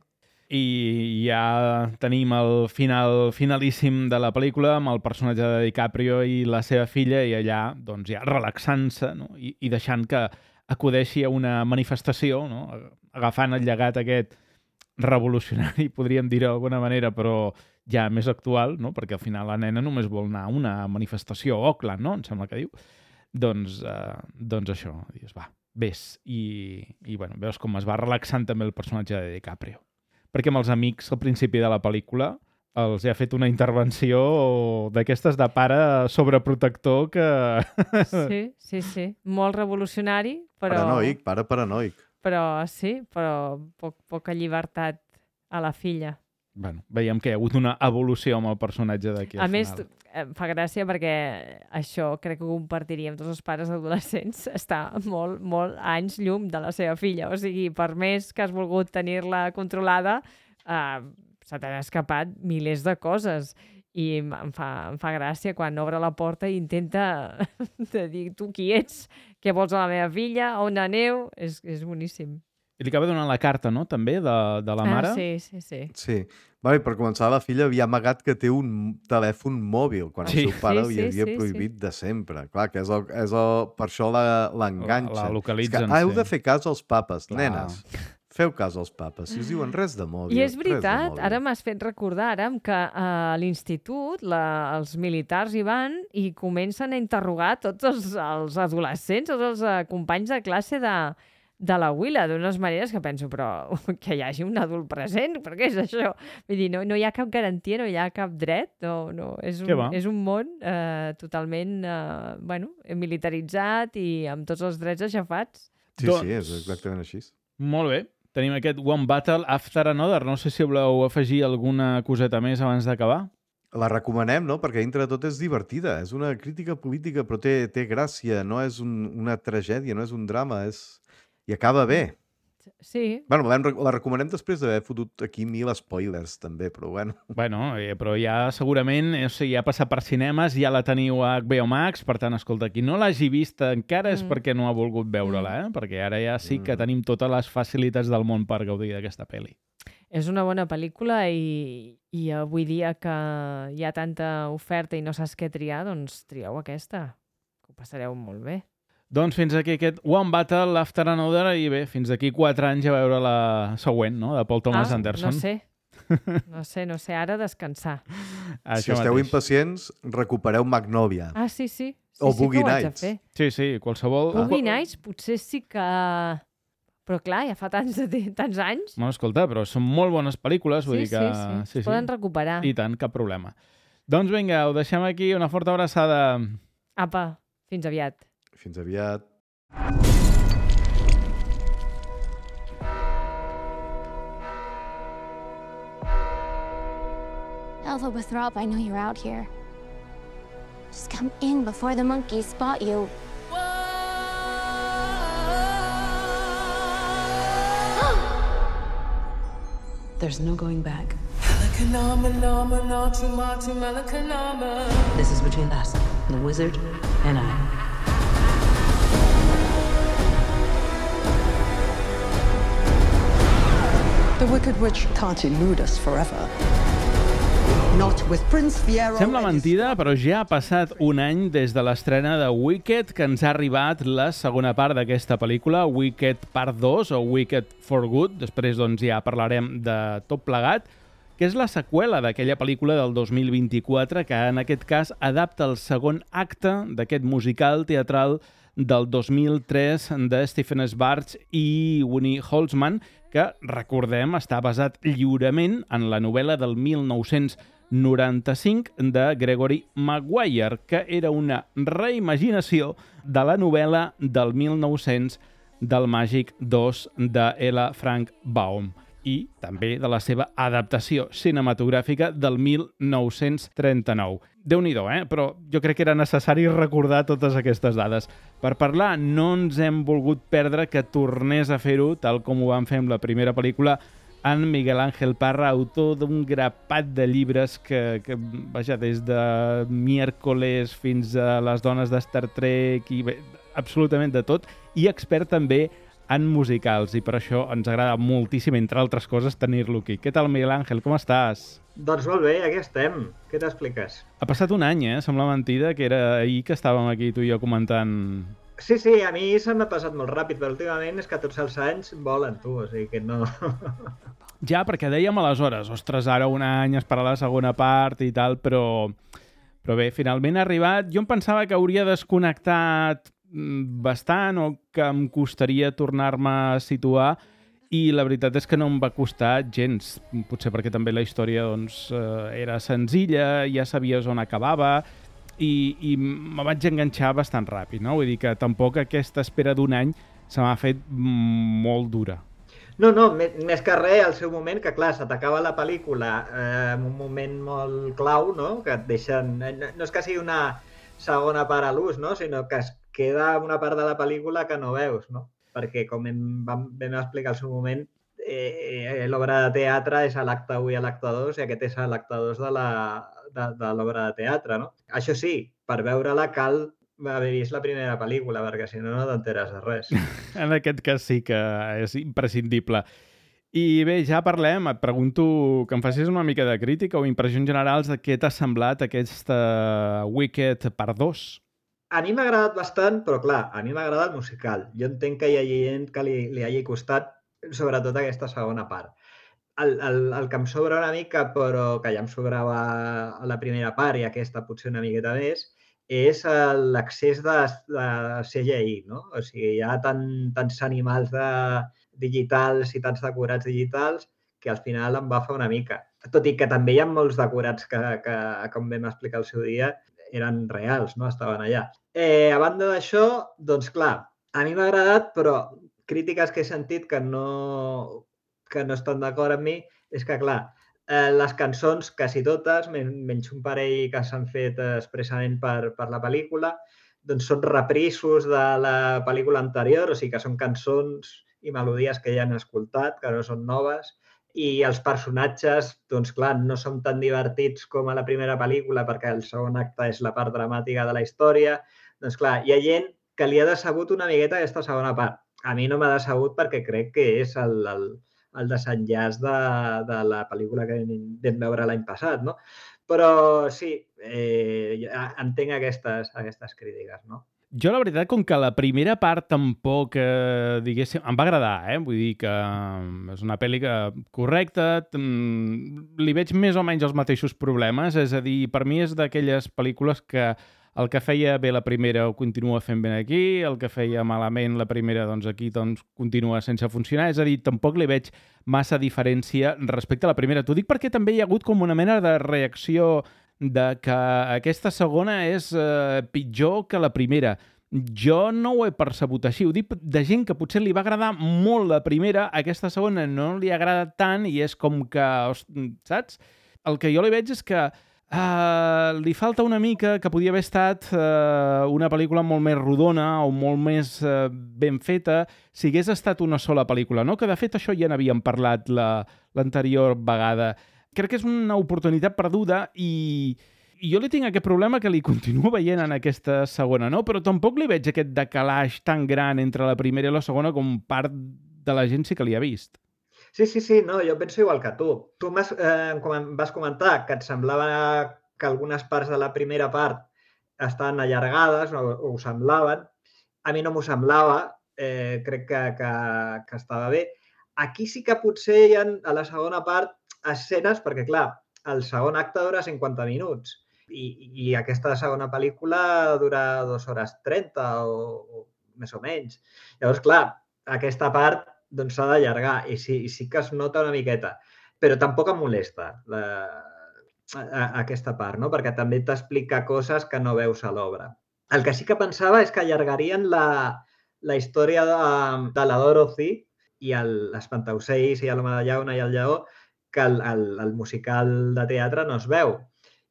I ja tenim el final finalíssim de la pel·lícula amb el personatge de DiCaprio i la seva filla i allà doncs, ja relaxant-se, no? I, i deixant que acudeixi a una manifestació, no? Agafant el llegat aquest revolucionari, podríem dir-ho d'alguna manera, però ja més actual, no? Perquè al final la nena només vol anar a una manifestació a Oakland, no? Em sembla que diu. Doncs, eh, doncs això, dius, va, vés. I, i bueno, veus com es va relaxant també el personatge de DiCaprio. Perquè amb els amics al principi de la pel·lícula els ha fet una intervenció d'aquestes de pare sobreprotector que... Sí, sí, sí. Molt revolucionari, però... Paranoic, pare paranoic. Però sí, però poc, poca llibertat a la filla. Bueno, veiem que hi ha hagut una evolució amb el personatge d'aquí al A més, final. em fa gràcia perquè això crec que ho compartiríem tots els pares adolescents. Està molt, molt anys llum de la seva filla. O sigui, per més que has volgut tenir-la controlada, eh, se t'han escapat milers de coses. I em fa, em fa gràcia quan obre la porta i intenta de dir, tu qui ets? Què vols a la meva filla? On aneu? És, és boníssim. I li acaba donant la carta, no?, també, de, de la mare. Ah, sí, sí, sí. Sí. Vale, per començar, la filla havia amagat que té un telèfon mòbil, quan Sí. el seu pare Sí, li sí, havia sí, prohibit de sempre. Clar, que és el, és el, per això la- l'enganxa. La- la localitzen, És que heu sí. de fer cas als papes, Clar. nenes. Feu cas als papes. Si us diuen res de mòbil, I és res de veritat, mòbil. ara m'has fet recordar, ara, que a l'institut la, els militars hi van i comencen a interrogar tots els, els adolescents, tots els eh, companys de classe de, de la Willa, d'unes maneres que penso, però que hi hagi un adult present, per què és això? Vull dir, no, no hi ha cap garantia, no hi ha cap dret, no, no. És, Què un, va? és un món eh, totalment eh, bueno, militaritzat i amb tots els drets aixafats. Sí, Doncs- sí, és exactament així. Molt bé. Tenim aquest One Battle After Another. No sé si voleu afegir alguna coseta més abans d'acabar. La recomanem, no? Perquè dintre de tot és divertida. És una crítica política, però té, té gràcia. No és un, una tragèdia, no és un drama. És... I acaba bé. Sí, Bueno, la, vam- la recomanem després d'haver fotut aquí mil spoilers, també, però bueno. Bueno, eh, però ja segurament, o sigui, ja ha passat per cinemes, ja la teniu a H B O Max, per tant, escolta, qui no l'hagi vista encara és Mm. perquè no ha volgut veure-la, eh? Perquè ara ja sí que Mm. tenim totes les facilitats del món per gaudir d'aquesta pel·li. és una bona pel·lícula i, i avui dia que hi ha tanta oferta i no saps què triar, doncs trieu aquesta, que ho passareu molt bé. Doncs fins aquí aquest One Battle After Another i bé, fins d'aquí quatre anys a veure la següent, no?, de Paul Thomas ah, Anderson. No sé, no sé, no sé, ara descansar. Si esteu mateix. impacients, recupereu Magnolia. Ah, sí, sí, sí, O sí Boogie que ho haig de Nights. fer. Sí, sí, qualsevol... Boogie Nights potser sí que... Però clar, ja fa tants, tants anys. Bueno, escolta, però són molt bones pel·lícules, vull Sí, dir que... sí, sí, es poden recuperar. I tant, cap problema. Doncs vinga, ho deixem aquí, una forta abraçada. Apa, fins aviat. Fins aviat. Alpha Withrop, I know you're out here. Just come in before the monkeys spot you. There's no going back. This is between us, the wizard and I. The Wicked Witch can't elude us forever. Not with Prince Fiero. Sembla mentida, però ja ha passat un any des de l'estrena de Wicked que ens ha arribat la segona part d'aquesta pel·lícula, Wicked Part dos o Wicked for Good. Després doncs, ja parlarem de tot plegat, que és la seqüela d'aquella pel·lícula del dos mil vint-i-quatre que en aquest cas adapta el segon acte d'aquest musical teatral del dos mil tres de Stephen Schwartz i Winnie Holzman, que, recordem, està basat lliurement en la novel·la del mil nou-cents noranta-cinc de Gregory Maguire, que era una reimaginació de la novel·la del mil nou-cents del Màgic dos de L. Frank Baum i també de la seva adaptació cinematogràfica del mil nou-cents trenta-nou. Déu-n'hi-do, eh? Però jo crec que era necessari recordar totes aquestes dades. Per parlar, no ens hem volgut perdre que tornés a fer-ho, tal com ho vam fer amb la primera pel·lícula, en Miguel Ángel Parra, autor d'un grapat de llibres que, que vaja, des de Miércoles fins a les dones de Star Trek, i bé, absolutament de tot, i expert també en musicals, i per això ens agrada moltíssim, entre altres coses, tenir-lo aquí. Què tal, Miguel Ángel? Com estàs? Doncs molt bé, aquí estem. Què t'expliques? Ha passat un any, eh? Sembla mentida que era ahir que estàvem aquí tu i jo comentant... Sí, sí, a mi se m'ha passat molt ràpid, però últimament és que tots els anys volen, tu, o sigui que no... Ja, perquè dèiem aleshores, ostres, ara un any esperar la segona part i tal, però... Però bé, finalment ha arribat. Jo em pensava que hauria desconnectat bastant o que em costaria tornar-me a situar, i la veritat és que no em va costar gens, potser perquè també la història doncs, era senzilla, ja sabies on acabava i, i me vaig enganxar bastant ràpid, no? Vull dir que tampoc aquesta espera d'un any se m'ha fet molt dura. No, no, més que res al seu moment, que clar, se t'acaba la pel·lícula eh, en un moment molt clau, no? Que et deixen... No és que sigui una segona part a l'ús, no? Sinó que es queda una part de la pel·lícula que no veus, no? Perquè, com em vam, vam explicar al seu moment, eh, l'obra de teatre és a l'acte u i a l'acte dos, i aquest és a l'acte dos de l'obra de teatre, no? Això sí, per veure-la cal haver vist la primera pel·lícula, perquè si no, no t'enteres de res. En aquest cas sí que és imprescindible. I bé, ja parlem, et pregunto que em facis una mica de crítica o impressions generals de què t'ha semblat aquesta Wicked Part dos. A mi m'ha agradat bastant, però clar, a mi m'ha agradat el musical. Jo entenc que hi hagi gent que li, li hagi costat, sobretot aquesta segona part. El, el, el que em sobra una mica, però que ja em sobrava a la primera part i aquesta potser una miqueta més, és l'accés de, de C G I, no? O sigui, hi ha tant, tants animals de, digitals i tants decorats digitals que al final em va fer una mica. Tot i que també hi ha molts decorats que, que com vam explicar el seu dia, eren reals, no? Estaven allà. Eh, a banda d'això, doncs clar, a mi m'ha agradat, però crítiques que he sentit que no, que no estan d'acord amb mi, és que clar, eh, les cançons, quasi totes, menys un parell que s'han fet expressament per, per la pel·lícula, doncs són reprisos de la pel·lícula anterior, o sigui que són cançons i melodies que ja han escoltat, que no són noves, i els personatges, doncs clar, no són tan divertits com a la primera pel·lícula perquè el segon acte és la part dramàtica de la història. Doncs clar, hi ha gent que li ha decebut una miqueta aquesta segona part. A mi no m'ha decebut perquè crec que és el, el, el desenllaç de, de la pel·lícula que vam veure l'any passat, no? Però sí, eh, entenc aquestes, aquestes crítiques, no? Jo, la veritat, com que la primera part tampoc, eh, diguéssim, em va agradar, eh? Vull dir que és una pel·li que correcta, li veig més o menys els mateixos problemes, és a dir, per mi és d'aquelles pel·lícules que el que feia bé la primera ho continua fent ben aquí, el que feia malament la primera, doncs aquí doncs, continua sense funcionar, és a dir, tampoc li veig massa diferència respecte a la primera. T'ho dic perquè també hi ha hagut com una mena de reacció de que aquesta segona és eh, pitjor que la primera. Jo no ho he percebut així. Ho dic de gent que potser li va agradar molt la primera, aquesta segona no li agrada tant i és com que, saps? El que jo li veig és que Uh, li falta una mica, que podia haver estat uh, una pel·lícula molt més rodona o molt més uh, ben feta si hagués estat una sola pel·lícula, no? Que de fet això ja n'havíem parlat la, l'anterior vegada. Crec que és una oportunitat perduda i, i jo li tinc aquest problema que li continuo veient en aquesta segona, no? Però tampoc li veig aquest decalaix tan gran entre la primera i la segona com part de la gent sí que li ha vist. Sí, sí, sí, no, jo penso igual que tu. Tu m'has, eh, com vas comentar que et semblava que algunes parts de la primera part estaven allargades o, o ho semblaven. A mi no m'ho semblava, eh, crec que, que, que estava bé. Aquí sí que potser hi ha, a la segona part, escenes, perquè clar, el segon acte dura cinquanta minuts i, i aquesta segona pel·lícula dura dues hores trenta o, o més o menys. Llavors, clar, aquesta part doncs s'ha d'allargar i sí, i sí que es nota una miqueta, però tampoc em molesta la, a, a, aquesta part, no? Perquè també t'explica coses que no veus a l'obra. El que sí que pensava és que allargarien la, la història de, de la Dorothy i l'Espantaocells i l'Home de Llauna i el Lleó, que el, el, el musical de teatre no es veu.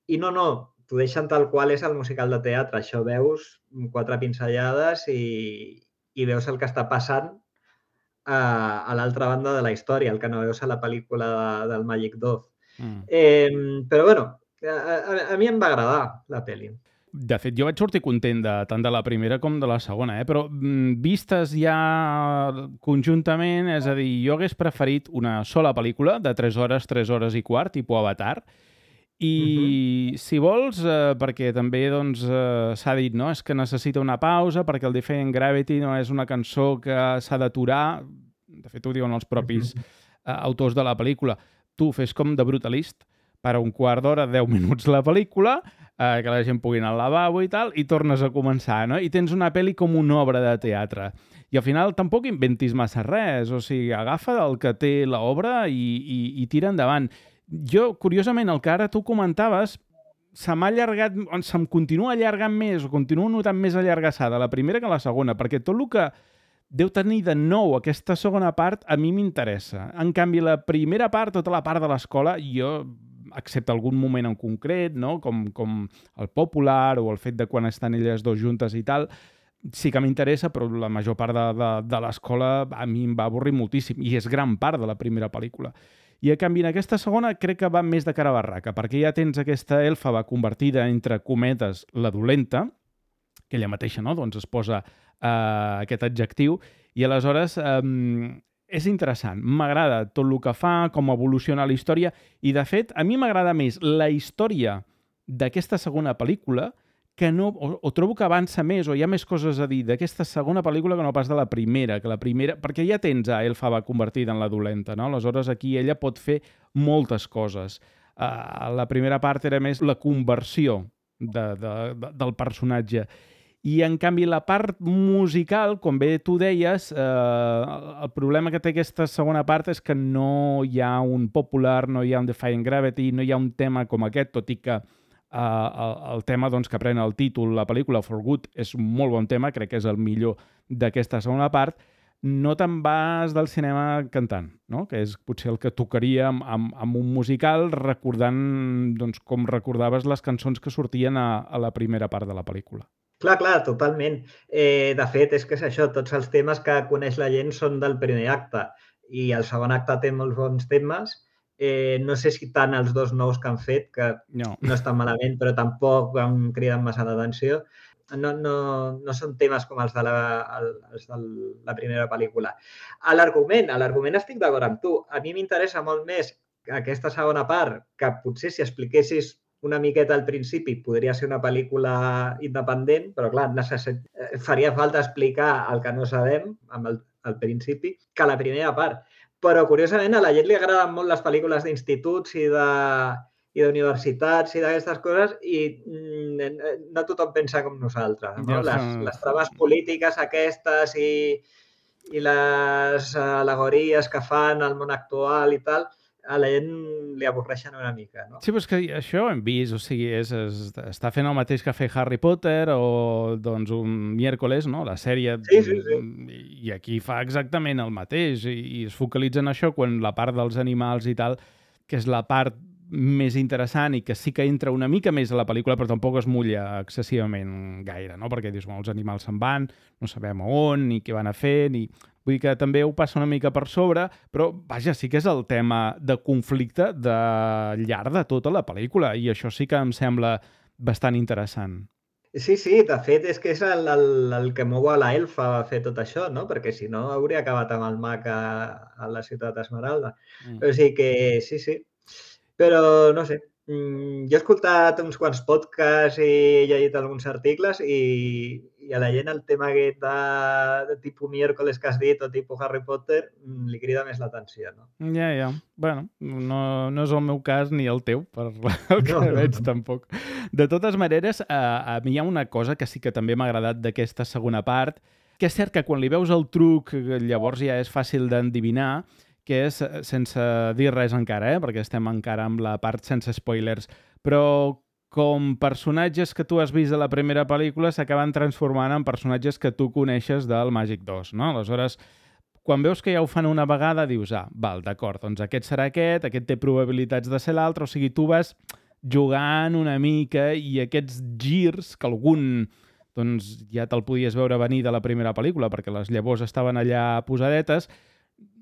I no, no, t'ho deixen tal qual és el musical de teatre. Això veus quatre pinzellades i, i veus el que està passant a, a l'altra banda de la història, el que no veus a la pel·lícula de, del Magic Dove. Mm. Eh, però, bueno, a, a, a mi em va agradar la pel·li. De fet, jo vaig sortir content de, tant de la primera com de la segona, eh? Però mm, vistes ja conjuntament, és a dir, jo hagués preferit una sola pel·lícula de tres hores, tres hores i quart, tipus Avatar, i uh-huh. si vols, eh, perquè també doncs, eh, s'ha dit, no? És que necessita una pausa perquè el Defying Gravity no és una cançó que s'ha d'aturar, de fet ho diuen els propis uh-huh. eh, autors de la pel·lícula. Tu fes com de Brutalist, per un quart d'hora, deu minuts la pel·lícula, eh, que la gent pugui anar al lavabo i tal, i tornes a començar, no? I tens una pel·li com una obra de teatre. I al final tampoc inventis massa res, o sigui, agafa el que té l'obra i, i, i tira endavant. Jo, curiosament, el que ara tu comentaves, se m'ha allargat, se'm continua allargant més, o continuo notant més allargassada la primera que la segona, perquè tot el que deu tenir de nou aquesta segona part a mi m'interessa. En canvi, la primera part, tota la part de l'escola, jo, excepte algun moment en concret, no? com, com el popular o el fet de quan estan elles dos juntes i tal, sí que m'interessa, però la major part de, de, de l'escola a mi em va avorrir moltíssim, i és gran part de la primera pel·lícula. I a canvi, en aquesta segona crec que va més de cara a barraca, perquè ja tens aquesta elfa convertida, entre cometes, la dolenta, que ella mateixa, no? Doncs es posa eh, aquest adjectiu, i aleshores eh, és interessant. M'agrada tot el que fa, com evoluciona la història, i de fet, a mi m'agrada més la història d'aquesta segona pel·lícula, que no, o, o trobo que avança més, o hi ha més coses a dir d'aquesta segona pel·lícula que no pas de la primera, que la primera, perquè ja tens a Elphaba convertida en la dolenta, no? Aleshores aquí ella pot fer moltes coses. Uh, la primera part era més la conversió de, de, de, del personatge. I, en canvi, la part musical, com bé tu deies, eh, el problema que té aquesta segona part és que no hi ha un popular, no hi ha un Defying Gravity, no hi ha un tema com aquest, tot i que Uh, el, el tema doncs, que pren el títol, la pel·lícula For Good, és un molt bon tema, crec que és el millor d'aquesta segona part. No te'n vas del cinema cantant, no? Que és potser el que tocaria amb, amb, amb un musical, recordant doncs, com recordaves les cançons que sortien a, a la primera part de la pel·lícula. Clar, clar, totalment. Eh, de fet, és que és això, tots els temes que coneix la gent són del primer acte, i el segon acte té molts bons temes. Eh, no sé si tant els dos nous que han fet, que no, no estan malament, però tampoc em criden massa l'atenció. No, no, no són temes com els de la, els de la primera pel·lícula. A l'argument, a l'argument estic d'acord amb tu. A mi m'interessa molt més aquesta segona part, que potser si expliquessis una miqueta al principi podria ser una pel·lícula independent, però clar, necessit... faria falta explicar el que no sabem amb el, el principi, que la primera part. Però, curiosament, a la gent li agraden molt les pel·lícules d'instituts i de i d'universitats i d'aquestes coses i mm, no tothom pensa com nosaltres. No? Les, les trames polítiques aquestes i, i les al·legories que fan al món actual i tal, a la gent li avorreixen una mica. No? Sí, però és que això ho hem vist, o sigui, és, és, està fent el mateix que ha fet Harry Potter o doncs un miércoles, no? La sèrie, sí, sí, sí. I aquí fa exactament el mateix i, i es focalitza en això quan la part dels animals i tal, que és la part més interessant i que sí que entra una mica més a la pel·lícula, però tampoc es mulla excessivament gaire, no? Perquè dius, els animals se'n van, no sabem a on, ni què van a fer, ni... Vull dir que també ho passa una mica per sobre, però, vaja, sí que és el tema de conflicte de llarg de tota la pel·lícula, i això sí que em sembla bastant interessant. Sí, sí, de fet és que és el, el, el que mou a la elfa a fer tot això, no? Perquè si no hauria acabat amb el mag a, a la ciutat Esmeralda. Mm. O sigui que sí, sí. Però no sé, jo he escoltat uns quants podcasts i he llegit alguns articles i, i a la gent el tema aquest de, de tipus miércoles que has dit o tipus Harry Potter li crida més l'atenció, no? Ja, ja. Bueno, no, no és el meu cas ni el teu, per el que no, veig, no, no. Tampoc. De totes maneres, a, a mi hi ha una cosa que sí que també m'ha agradat d'aquesta segona part, que és cert que quan li veus el truc llavors ja és fàcil d'endevinar, que és, sense dir res encara, eh? Perquè estem encara amb la part sense spoilers, però com personatges que tu has vist de la primera pel·lícula s'acaben transformant en personatges que tu coneixes del Màgic dos, no? Aleshores, quan veus que ja ho fan una vegada, dius, ah, val, d'acord, doncs aquest serà aquest, aquest té probabilitats de ser l'altre, o sigui, tu vas jugant una mica i aquests girs que algun doncs, ja te'l podies veure venir de la primera pel·lícula perquè les llavors estaven allà posadetes,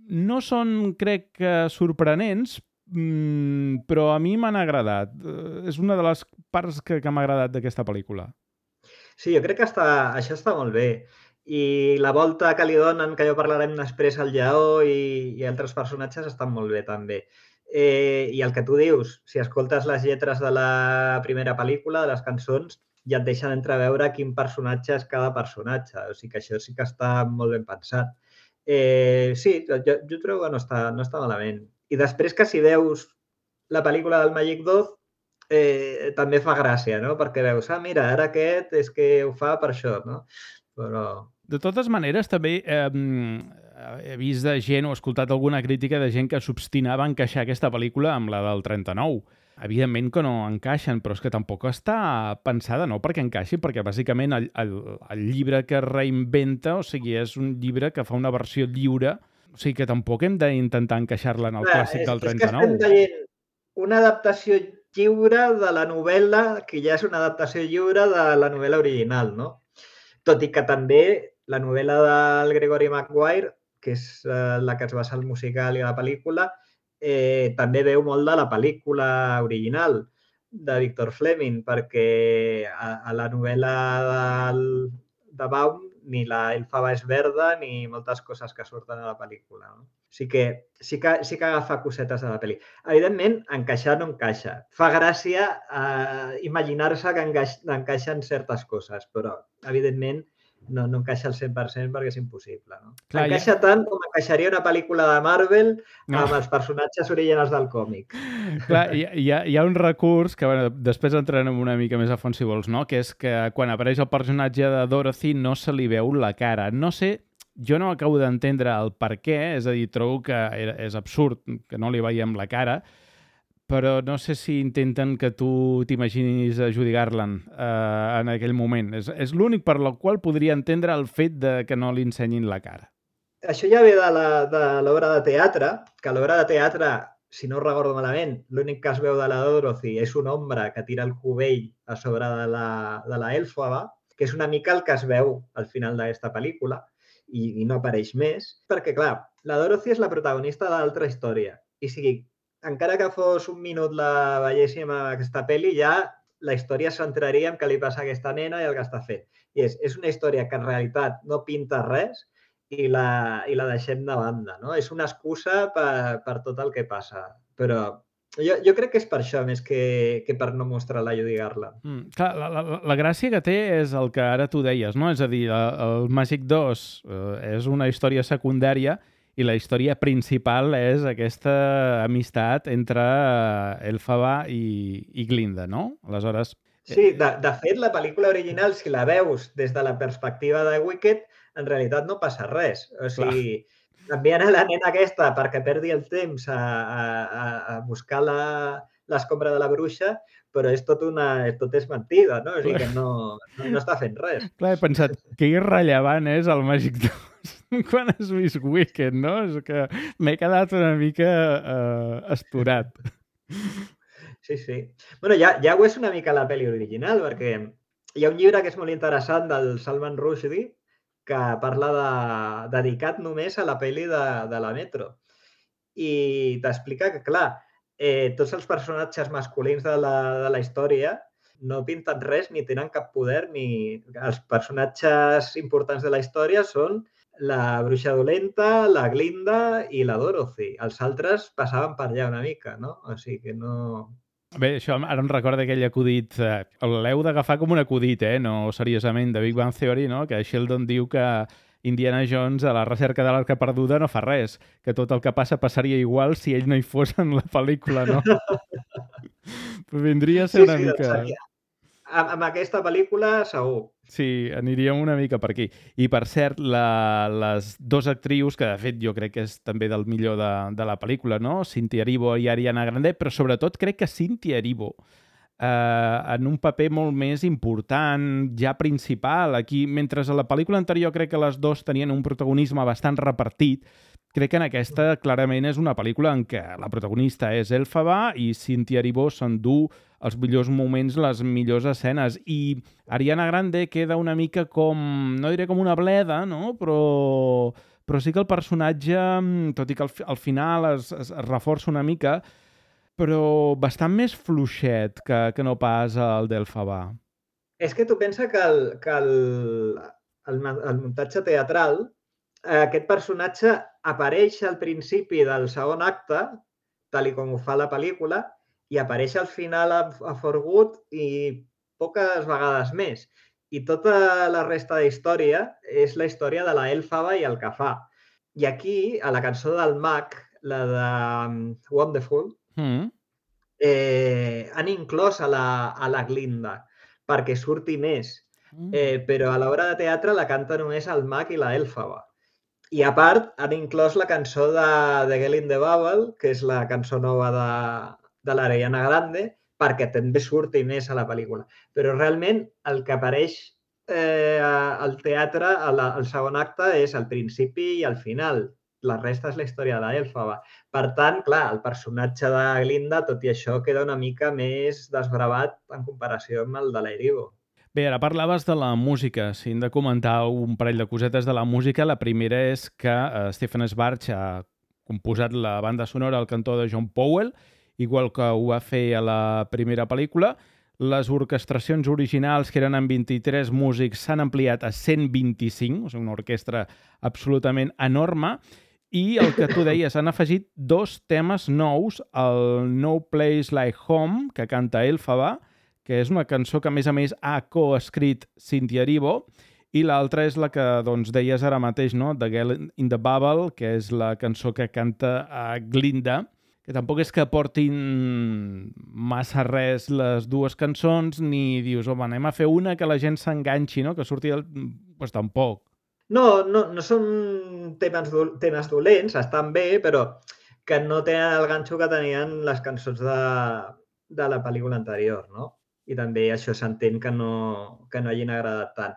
no són, crec que, sorprenents, però a mi m'han agradat. És una de les parts que, que m'ha agradat d'aquesta pel·lícula. Sí, jo crec que està, això està molt bé. I la volta que li donen, que ja parlarem després, al Lleó i, i altres personatges estan molt bé, també. Eh, I el que tu dius, si escoltes les lletres de la primera pel·lícula, de les cançons, ja et deixen entreveure quin personatge és cada personatge. O sigui que això sí que està molt ben pensat. Eh, sí, jo, jo trobo que no està, no està malament. I després que si veus la pel·lícula del Màgic dos, eh, també fa gràcia, no? Perquè veus, ah, mira, ara aquest és que ho fa per això, no? Però... De totes maneres, també eh, he vist de gent o escoltat alguna crítica de gent que s'obstinava a encaixar aquesta pel·lícula amb la del trenta-nou. Evidentment que no encaixen, però és que tampoc està pensada, no perquè encaixi, perquè bàsicament el, el, el llibre que reinventa, o sigui, és un llibre que fa una versió lliure, o sigui que tampoc hem d'intentar encaixar-la en el Clar, clàssic és, del trenta-nou. És que estem veient una adaptació lliure de la novel·la, que ja és una adaptació lliure de la novel·la original, no? Tot i que també la novel·la del Gregory Maguire, que és eh, la que es basa el musical i la pel·lícula, Eh, també veu molt de la pel·lícula original de Victor Fleming, perquè a, a la novel·la del, de Baum ni la elfaba és verda ni moltes coses que surten a la pel·lícula. No? Sí que, sí que, sí que agafa cosetes de la pel·li. Evidentment, encaixar no encaixa. Fa gràcia eh, imaginar-se que encaix, encaixen certes coses, però, evidentment, no, no encaixa al cent per cent perquè és impossible. No? Clar, encaixa ja... tant com encaixaria una pel·lícula de Marvel no. amb els personatges originals del còmic. Clar, hi, hi, ha, hi ha un recurs que bueno, després entrarem una mica més a fons si vols, no? Que és que quan apareix el personatge de Dorothy no se li veu la cara. No sé, jo no acabo d'entendre el per què, és a dir, trobo que és absurd que no li veiem la cara, però no sé si intenten que tu t'imaginis a Judy Garland eh, en aquell moment. És, és l'únic per la qual podria entendre el fet de que no li ensenyin la cara. Això ja ve de l'obra de teatre, que a l'obra de teatre, si no ho recordo malament, l'únic que es veu de la Dorothy és un ombra que tira el cubell a sobre de la, de la elfaba, que és una mica el que es veu al final d'aquesta pel·lícula, i, i no apareix més, perquè, clar, la Dorothy és la protagonista de l'altra història, i sigui, encara que fos un minut la veiéssim a aquesta pel·li, ja la història es centraria en què li passa a aquesta nena i el que està fent. I és, és una història que en realitat no pinta res i la, i la deixem de banda, no? És una excusa per, per tot el que passa. Però jo, jo crec que és per això més que, que per no mostrar la Judy Garland. Mm, clar, la, la, la gràcia que té és el que ara tu deies, no? És a dir, el Màgic dos eh, és una història secundària i la història principal és aquesta amistat entre Elphaba i, i Glinda, no? Aleshores... Sí, de, de fet, la pel·lícula original, si la veus des de la perspectiva de Wicked, en realitat no passa res. O sigui, envien a la nena aquesta perquè perdi el temps a, a, a buscar l'escombra de la bruixa, però és tot, una, tot és mentida, no? O sigui que no, no, no està fent res. Clar, he pensat, que irrellevant és el Màgic dos quan has vist Wicked, no? És que m'he quedat una mica uh, esturat. Sí, sí. Bueno, ja, ja ho és una mica la pel·li original, perquè hi ha un llibre que és molt interessant del Salman Rushdie que parla de, dedicat només a la pel·li de, de la Metro. I t'explica que, clar, eh, tots els personatges masculins de la, de la història no pinten res ni tenen cap poder, ni els personatges importants de la història són la bruixa dolenta, la Glinda i la Dorothy. Els altres passaven per allà una mica, no? O sigui que no... Bé, això ara em recorda aquell acudit, eh, l'heu d'agafar com un acudit, eh? No seriosament, de Big Bang Theory, no? Que Sheldon diu que Indiana Jones a la recerca de l'Arca Perduda no fa res, que tot el que passa passaria igual si ell no hi fos en la pel·lícula, no? Però vindria a ser sí, una sí, mica... Seria. Amb, amb aquesta pel·lícula, segur. Sí, aniríem una mica per aquí. I, per cert, la, les dues actrius, que de fet jo crec que és també del millor de, de la pel·lícula, no? Cynthia Erivo i Ariana Grande, però sobretot crec que Cynthia Erivo eh, en un paper molt més important, ja principal. Aquí, mentre a la pel·lícula anterior crec que les dues tenien un protagonisme bastant repartit, crec que en aquesta clarament és una pel·lícula en què la protagonista és Elphaba i Cynthia Erivo s'endú els millors moments, les millors escenes. I Ariana Grande queda una mica com, no diré com una bleda, no? Però, però sí que el personatge, tot i que al, al final es, es reforça una mica, però bastant més fluixet que, que no pas el d'Elphaba. És que tu pensa que el, que el, el, el muntatge teatral, aquest personatge apareix al principi del segon acte, tal i com ho fa la pel·lícula, i apareix al final a, a For Good i poques vegades més. I tota la resta de història és la història de la Elphaba i el que fa. I aquí, a la cançó del Mag, la de Wonderful, mm. eh, han inclòs a la, a la Glinda perquè surti més. Mm. Eh, però a l'obra de teatre la canta només el Mag i la Elphaba. I a part, han inclòs la cançó de The Girl in the Bubble, que és la cançó nova de, de l'Ariana Grande, perquè també surti més a la pel·lícula. Però realment el que apareix eh, al teatre, al, al segon acte, és al principi i al final. La resta és la història de l'Elphaba. Per tant, clar, el personatge de Glinda, tot i això, queda una mica més desbravat en comparació amb el de l'Erivo. Bé, ara parlaves de la música. Si hem de comentar un parell de cosetes de la música, la primera és que uh, Stephen Schwartz ha composat la banda sonora al cantó de John Powell, igual que ho va fer a la primera pel·lícula. Les orquestracions originals, que eren amb vint-i-tres músics, s'han ampliat a cent vint-i-cinc, o sigui, una orquestra absolutament enorme. I el que tu deies, han afegit dos temes nous, el No Place Like Home, que canta Elphaba, que és una cançó que, a més a més, ha coescrit Cynthia Erivo, i l'altra és la que doncs, deies ara mateix, no? The Girl in the Bubble, que és la cançó que canta a Glinda, que tampoc és que portin massa res les dues cançons, ni dius, home, anem a fer una que la gent s'enganxi, no? Que surti el... Pues tampoc. No, no, no són temes, do, temes dolents, estan bé, però que no tenen el ganxo que tenien les cançons de, de la pel·lícula anterior, no? I també això s'entén que no, que no hagin agradat tant.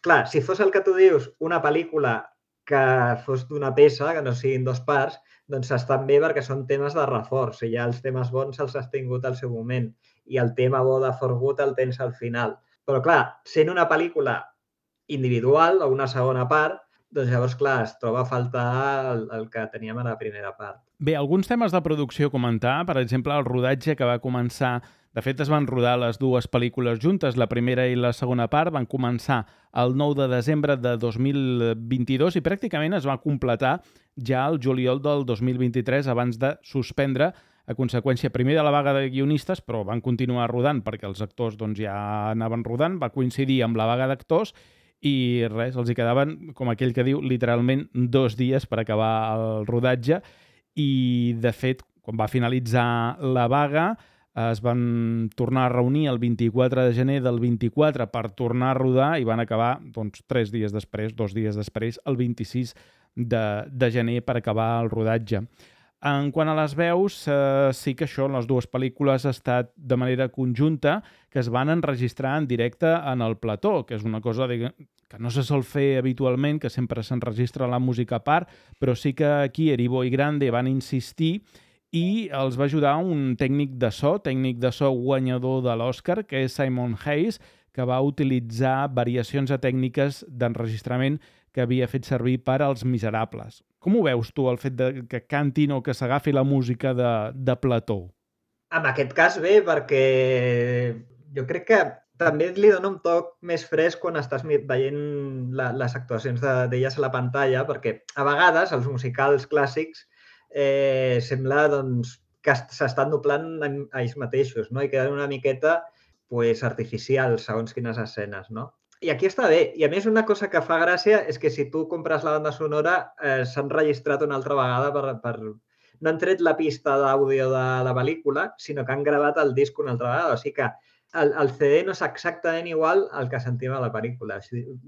Clar, si fos el que tu dius, una pel·lícula que fos d'una peça, que no siguin dos parts, doncs estan bé perquè són temes de reforç. I ja els temes bons els has tingut al seu moment. I el tema bo de For Good el tens al final. Però clar, sent una pel·lícula individual o una segona part, doncs llavors, clar, es troba a faltar el, el que teníem a la primera part. Bé, alguns temes de producció a comentar, per exemple, el rodatge que va començar... De fet, es van rodar les dues pel·lícules juntes, la primera i la segona part, van començar el nou de desembre de dos mil vint-i-dos i pràcticament es va completar ja el juliol del dos mil vint-i-tres abans de suspendre a conseqüència primer de la vaga de guionistes, però van continuar rodant perquè els actors doncs, ja anaven rodant, va coincidir amb la vaga d'actors i res, els hi quedaven, com aquell que diu, literalment dos dies per acabar el rodatge i, de fet, quan va finalitzar la vaga, es van tornar a reunir el vint-i-quatre de gener del vint-i-quatre per tornar a rodar i van acabar doncs, tres dies després, dos dies després, el vint-i-sis de, de gener per acabar el rodatge. En quant a les veus, eh, sí que això, les dues pel·lícules ha estat de manera conjunta que es van enregistrar en directe en el plató, que és una cosa diguem, que no se sol fer habitualment, que sempre s'enregistra la música a part, però sí que aquí Erivo i Grande van insistir i els va ajudar un tècnic de so, tècnic de so guanyador de l'Oscar, que és Simon Hayes, que va utilitzar variacions a tècniques d'enregistrament que havia fet servir per als Miserables. Com ho veus tu, el fet de que cantin o que s'agafi la música de, de Plató? En aquest cas bé, perquè jo crec que també li dona un toc més fresc quan estàs veient la, les actuacions d'elles a la pantalla, perquè a vegades els musicals clàssics eh, sembla doncs, que s'estan doblant a ells mateixos, no? I queden una miqueta pues, artificials segons quines escenes, no? I aquí està bé. I a més una cosa que fa gràcia és que si tu compres la banda sonora eh, s'han registrat una altra vegada per, per... No han tret la pista d'àudio de la pel·lícula, sinó que han gravat el disc una altra vegada. O sigui que el, el C D no és exactament igual al que sentim a la pel·lícula. O sigui,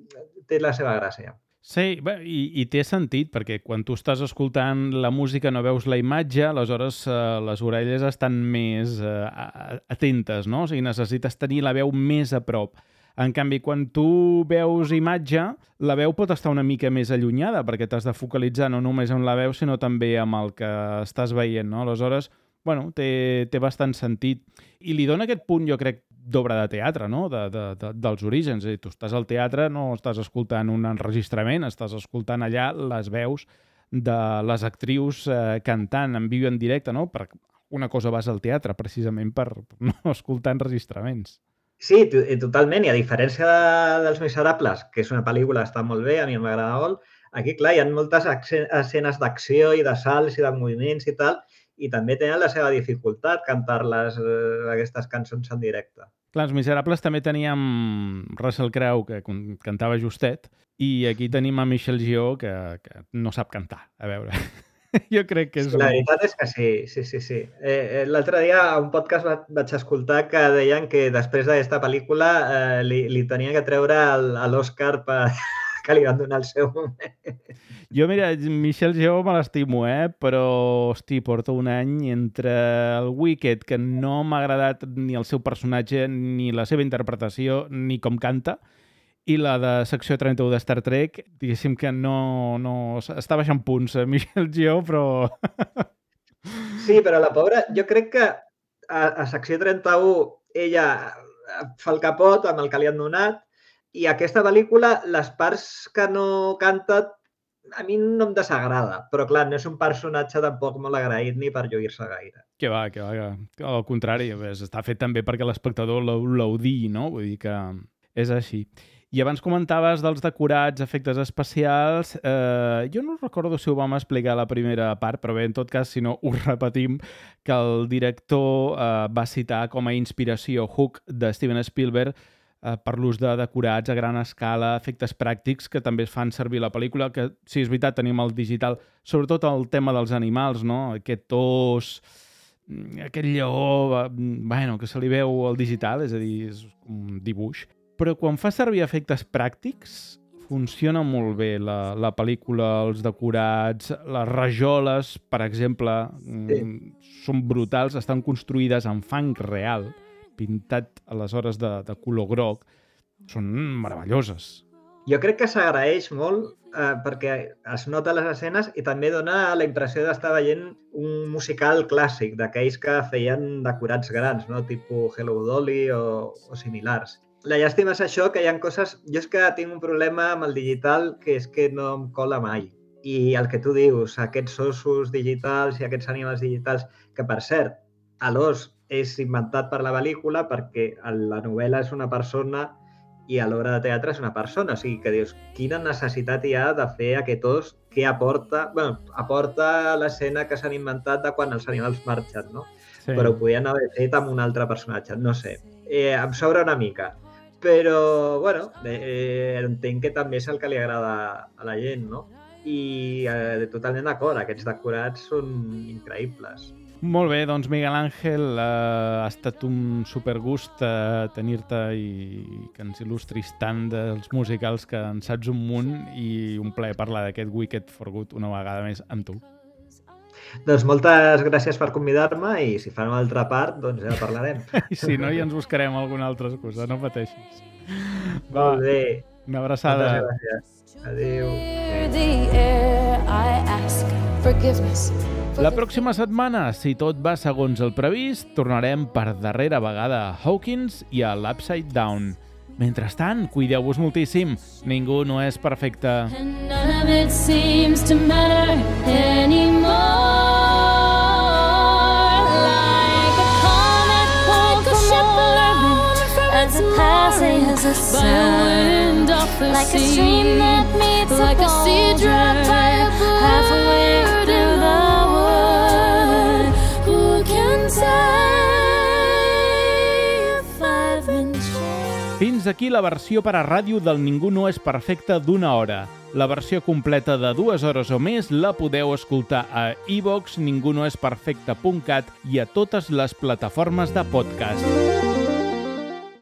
té la seva gràcia. Sí, bé, i, i té sentit, perquè quan tu estàs escoltant la música no veus la imatge, aleshores eh, les orelles estan més eh, atentes, no? O sigui, necessites tenir la veu més a prop. En canvi, quan tu veus imatge, la veu pot estar una mica més allunyada, perquè t'has de focalitzar no només en la veu, sinó també amb el que estàs veient, no? Aleshores, bueno, té, té bastant sentit. I li dona aquest punt, jo crec, d'obra de teatre, no? De, de, de, dels orígens. És a dir, tu estàs al teatre, no estàs escoltant un enregistrament, estàs escoltant allà les veus de les actrius eh, cantant en viu en directe, no? Per una cosa vas al teatre, precisament per no escoltar enregistraments. Sí, totalment. I a diferència de, dels Miserables, que és una pel·lícula que està molt bé, a mi m'agrada molt, aquí, clar, hi ha moltes escenes d'acció i de salts i de moviments i tal, i també tenen la seva dificultat cantar-les, eh, aquestes cançons en directe. Clar, els Miserables també teníem Russell Crowe, que cantava justet, i aquí tenim a Michelle Yeoh, que, que no sap cantar. A veure, jo crec que és... Sí, la veritat és que sí, sí, sí. sí. Eh, L'altre dia a un podcast va, vaig escoltar que deien que després d'aquesta pel·lícula eh, li, li tenien que treure l'Oscar per... que li van donar el seu moment. Jo, mira, Michelle Yeoh me l'estimo, eh? Però, hosti, porta un any entre el Wicked, que no m'ha agradat ni el seu personatge, ni la seva interpretació, ni com canta, i la de secció trenta-u de Star Trek, diguéssim que no... no està baixant punts, eh, Michelle Yeoh, però... Sí, però la pobra, jo crec que a, a secció trenta-u ella fa el capot amb el que li han donat, i aquesta pel·lícula, les parts que no canta, a mi no em desagrada. Però, clar, no és un personatge tampoc molt agraït ni per lluir-se gaire. Que va, que va, que al contrari. Està fet també perquè l'espectador l'audi, no? Vull dir que és així. I abans comentaves dels decorats, efectes especials. Eh, jo no recordo si ho vam explicar a la primera part, però bé, en tot cas, si no, ho repetim, que el director eh, va citar com a inspiració Hook de Steven Spielberg per l'ús de decorats a gran escala, efectes pràctics que també es fan servir a la pel·lícula, que sí, és veritat, tenim el digital, sobretot el tema dels animals, no? Aquest os, aquest lleó, bueno, que se li veu al digital, és a dir, és un dibuix. Però quan fa servir efectes pràctics, funciona molt bé la, la pel·lícula, els decorats, les rajoles, per exemple, sí. Són brutals, estan construïdes en fang real, pintat aleshores de, de color groc, són meravelloses. Jo crec que s'agraeix molt eh, perquè es nota les escenes i també dona la impressió d'estar veient un musical clàssic, d'aquells que feien decorats grans, no? Tipus Hello Dolly o, o similars. La llàstima és això, que hi ha coses... Jo és que tinc un problema amb el digital que és que no em cola mai. I el que tu dius, aquests ossos digitals i aquests animals digitals, que per cert, a l'os és inventat per la pel·lícula perquè la novel·la és una persona i a l'obra de teatre és una persona. O sigui que dius, quina necessitat hi ha de fer aquest os que aporta... Bueno, aporta l'escena que s'han inventat de quan els animals marxen, no? Sí. Però ho podien haver fet amb un altre personatge, no sé. Eh, em sobra una mica. Però, bueno, eh, entenc que també és el que li agrada a la gent, no? I eh, totalment d'acord, aquests decorats són increïbles. Molt bé, doncs Miguel Ángel, eh, ha estat un supergust eh, tenir-te i que ens il·lustris tant dels musicals que en saps un munt i un plaer parlar d'aquest Wicked for Good una vegada més amb tu. Doncs moltes gràcies per convidar-me i si fan una altra part, doncs ja parlarem. I si no, ja ens buscarem alguna altra excusa, no pateixis. Va, molt bé. Una abraçada. Moltes gràcies. Adéu. The air I ask forgiveness La pròxima setmana, si tot va segons el previst, tornarem per darrera vegada a Hawkins i a l'Upside Down. Mentrestant, cuideu-vos moltíssim. Ningú no és perfecte. And none of it seems to matter anymore. Like a comet pulled from orbit as it passes by a wind off the Like a sea. stream that meets a Like a sea drop by a bird in the wood. Who can say if I've been changed? Fins aquí la versió per a ràdio del Ningú no és perfecte d'una hora. La versió completa de dues hores o més la podeu escoltar a iVox, ningunoesperfecte punt cat i a totes les plataformes de podcast.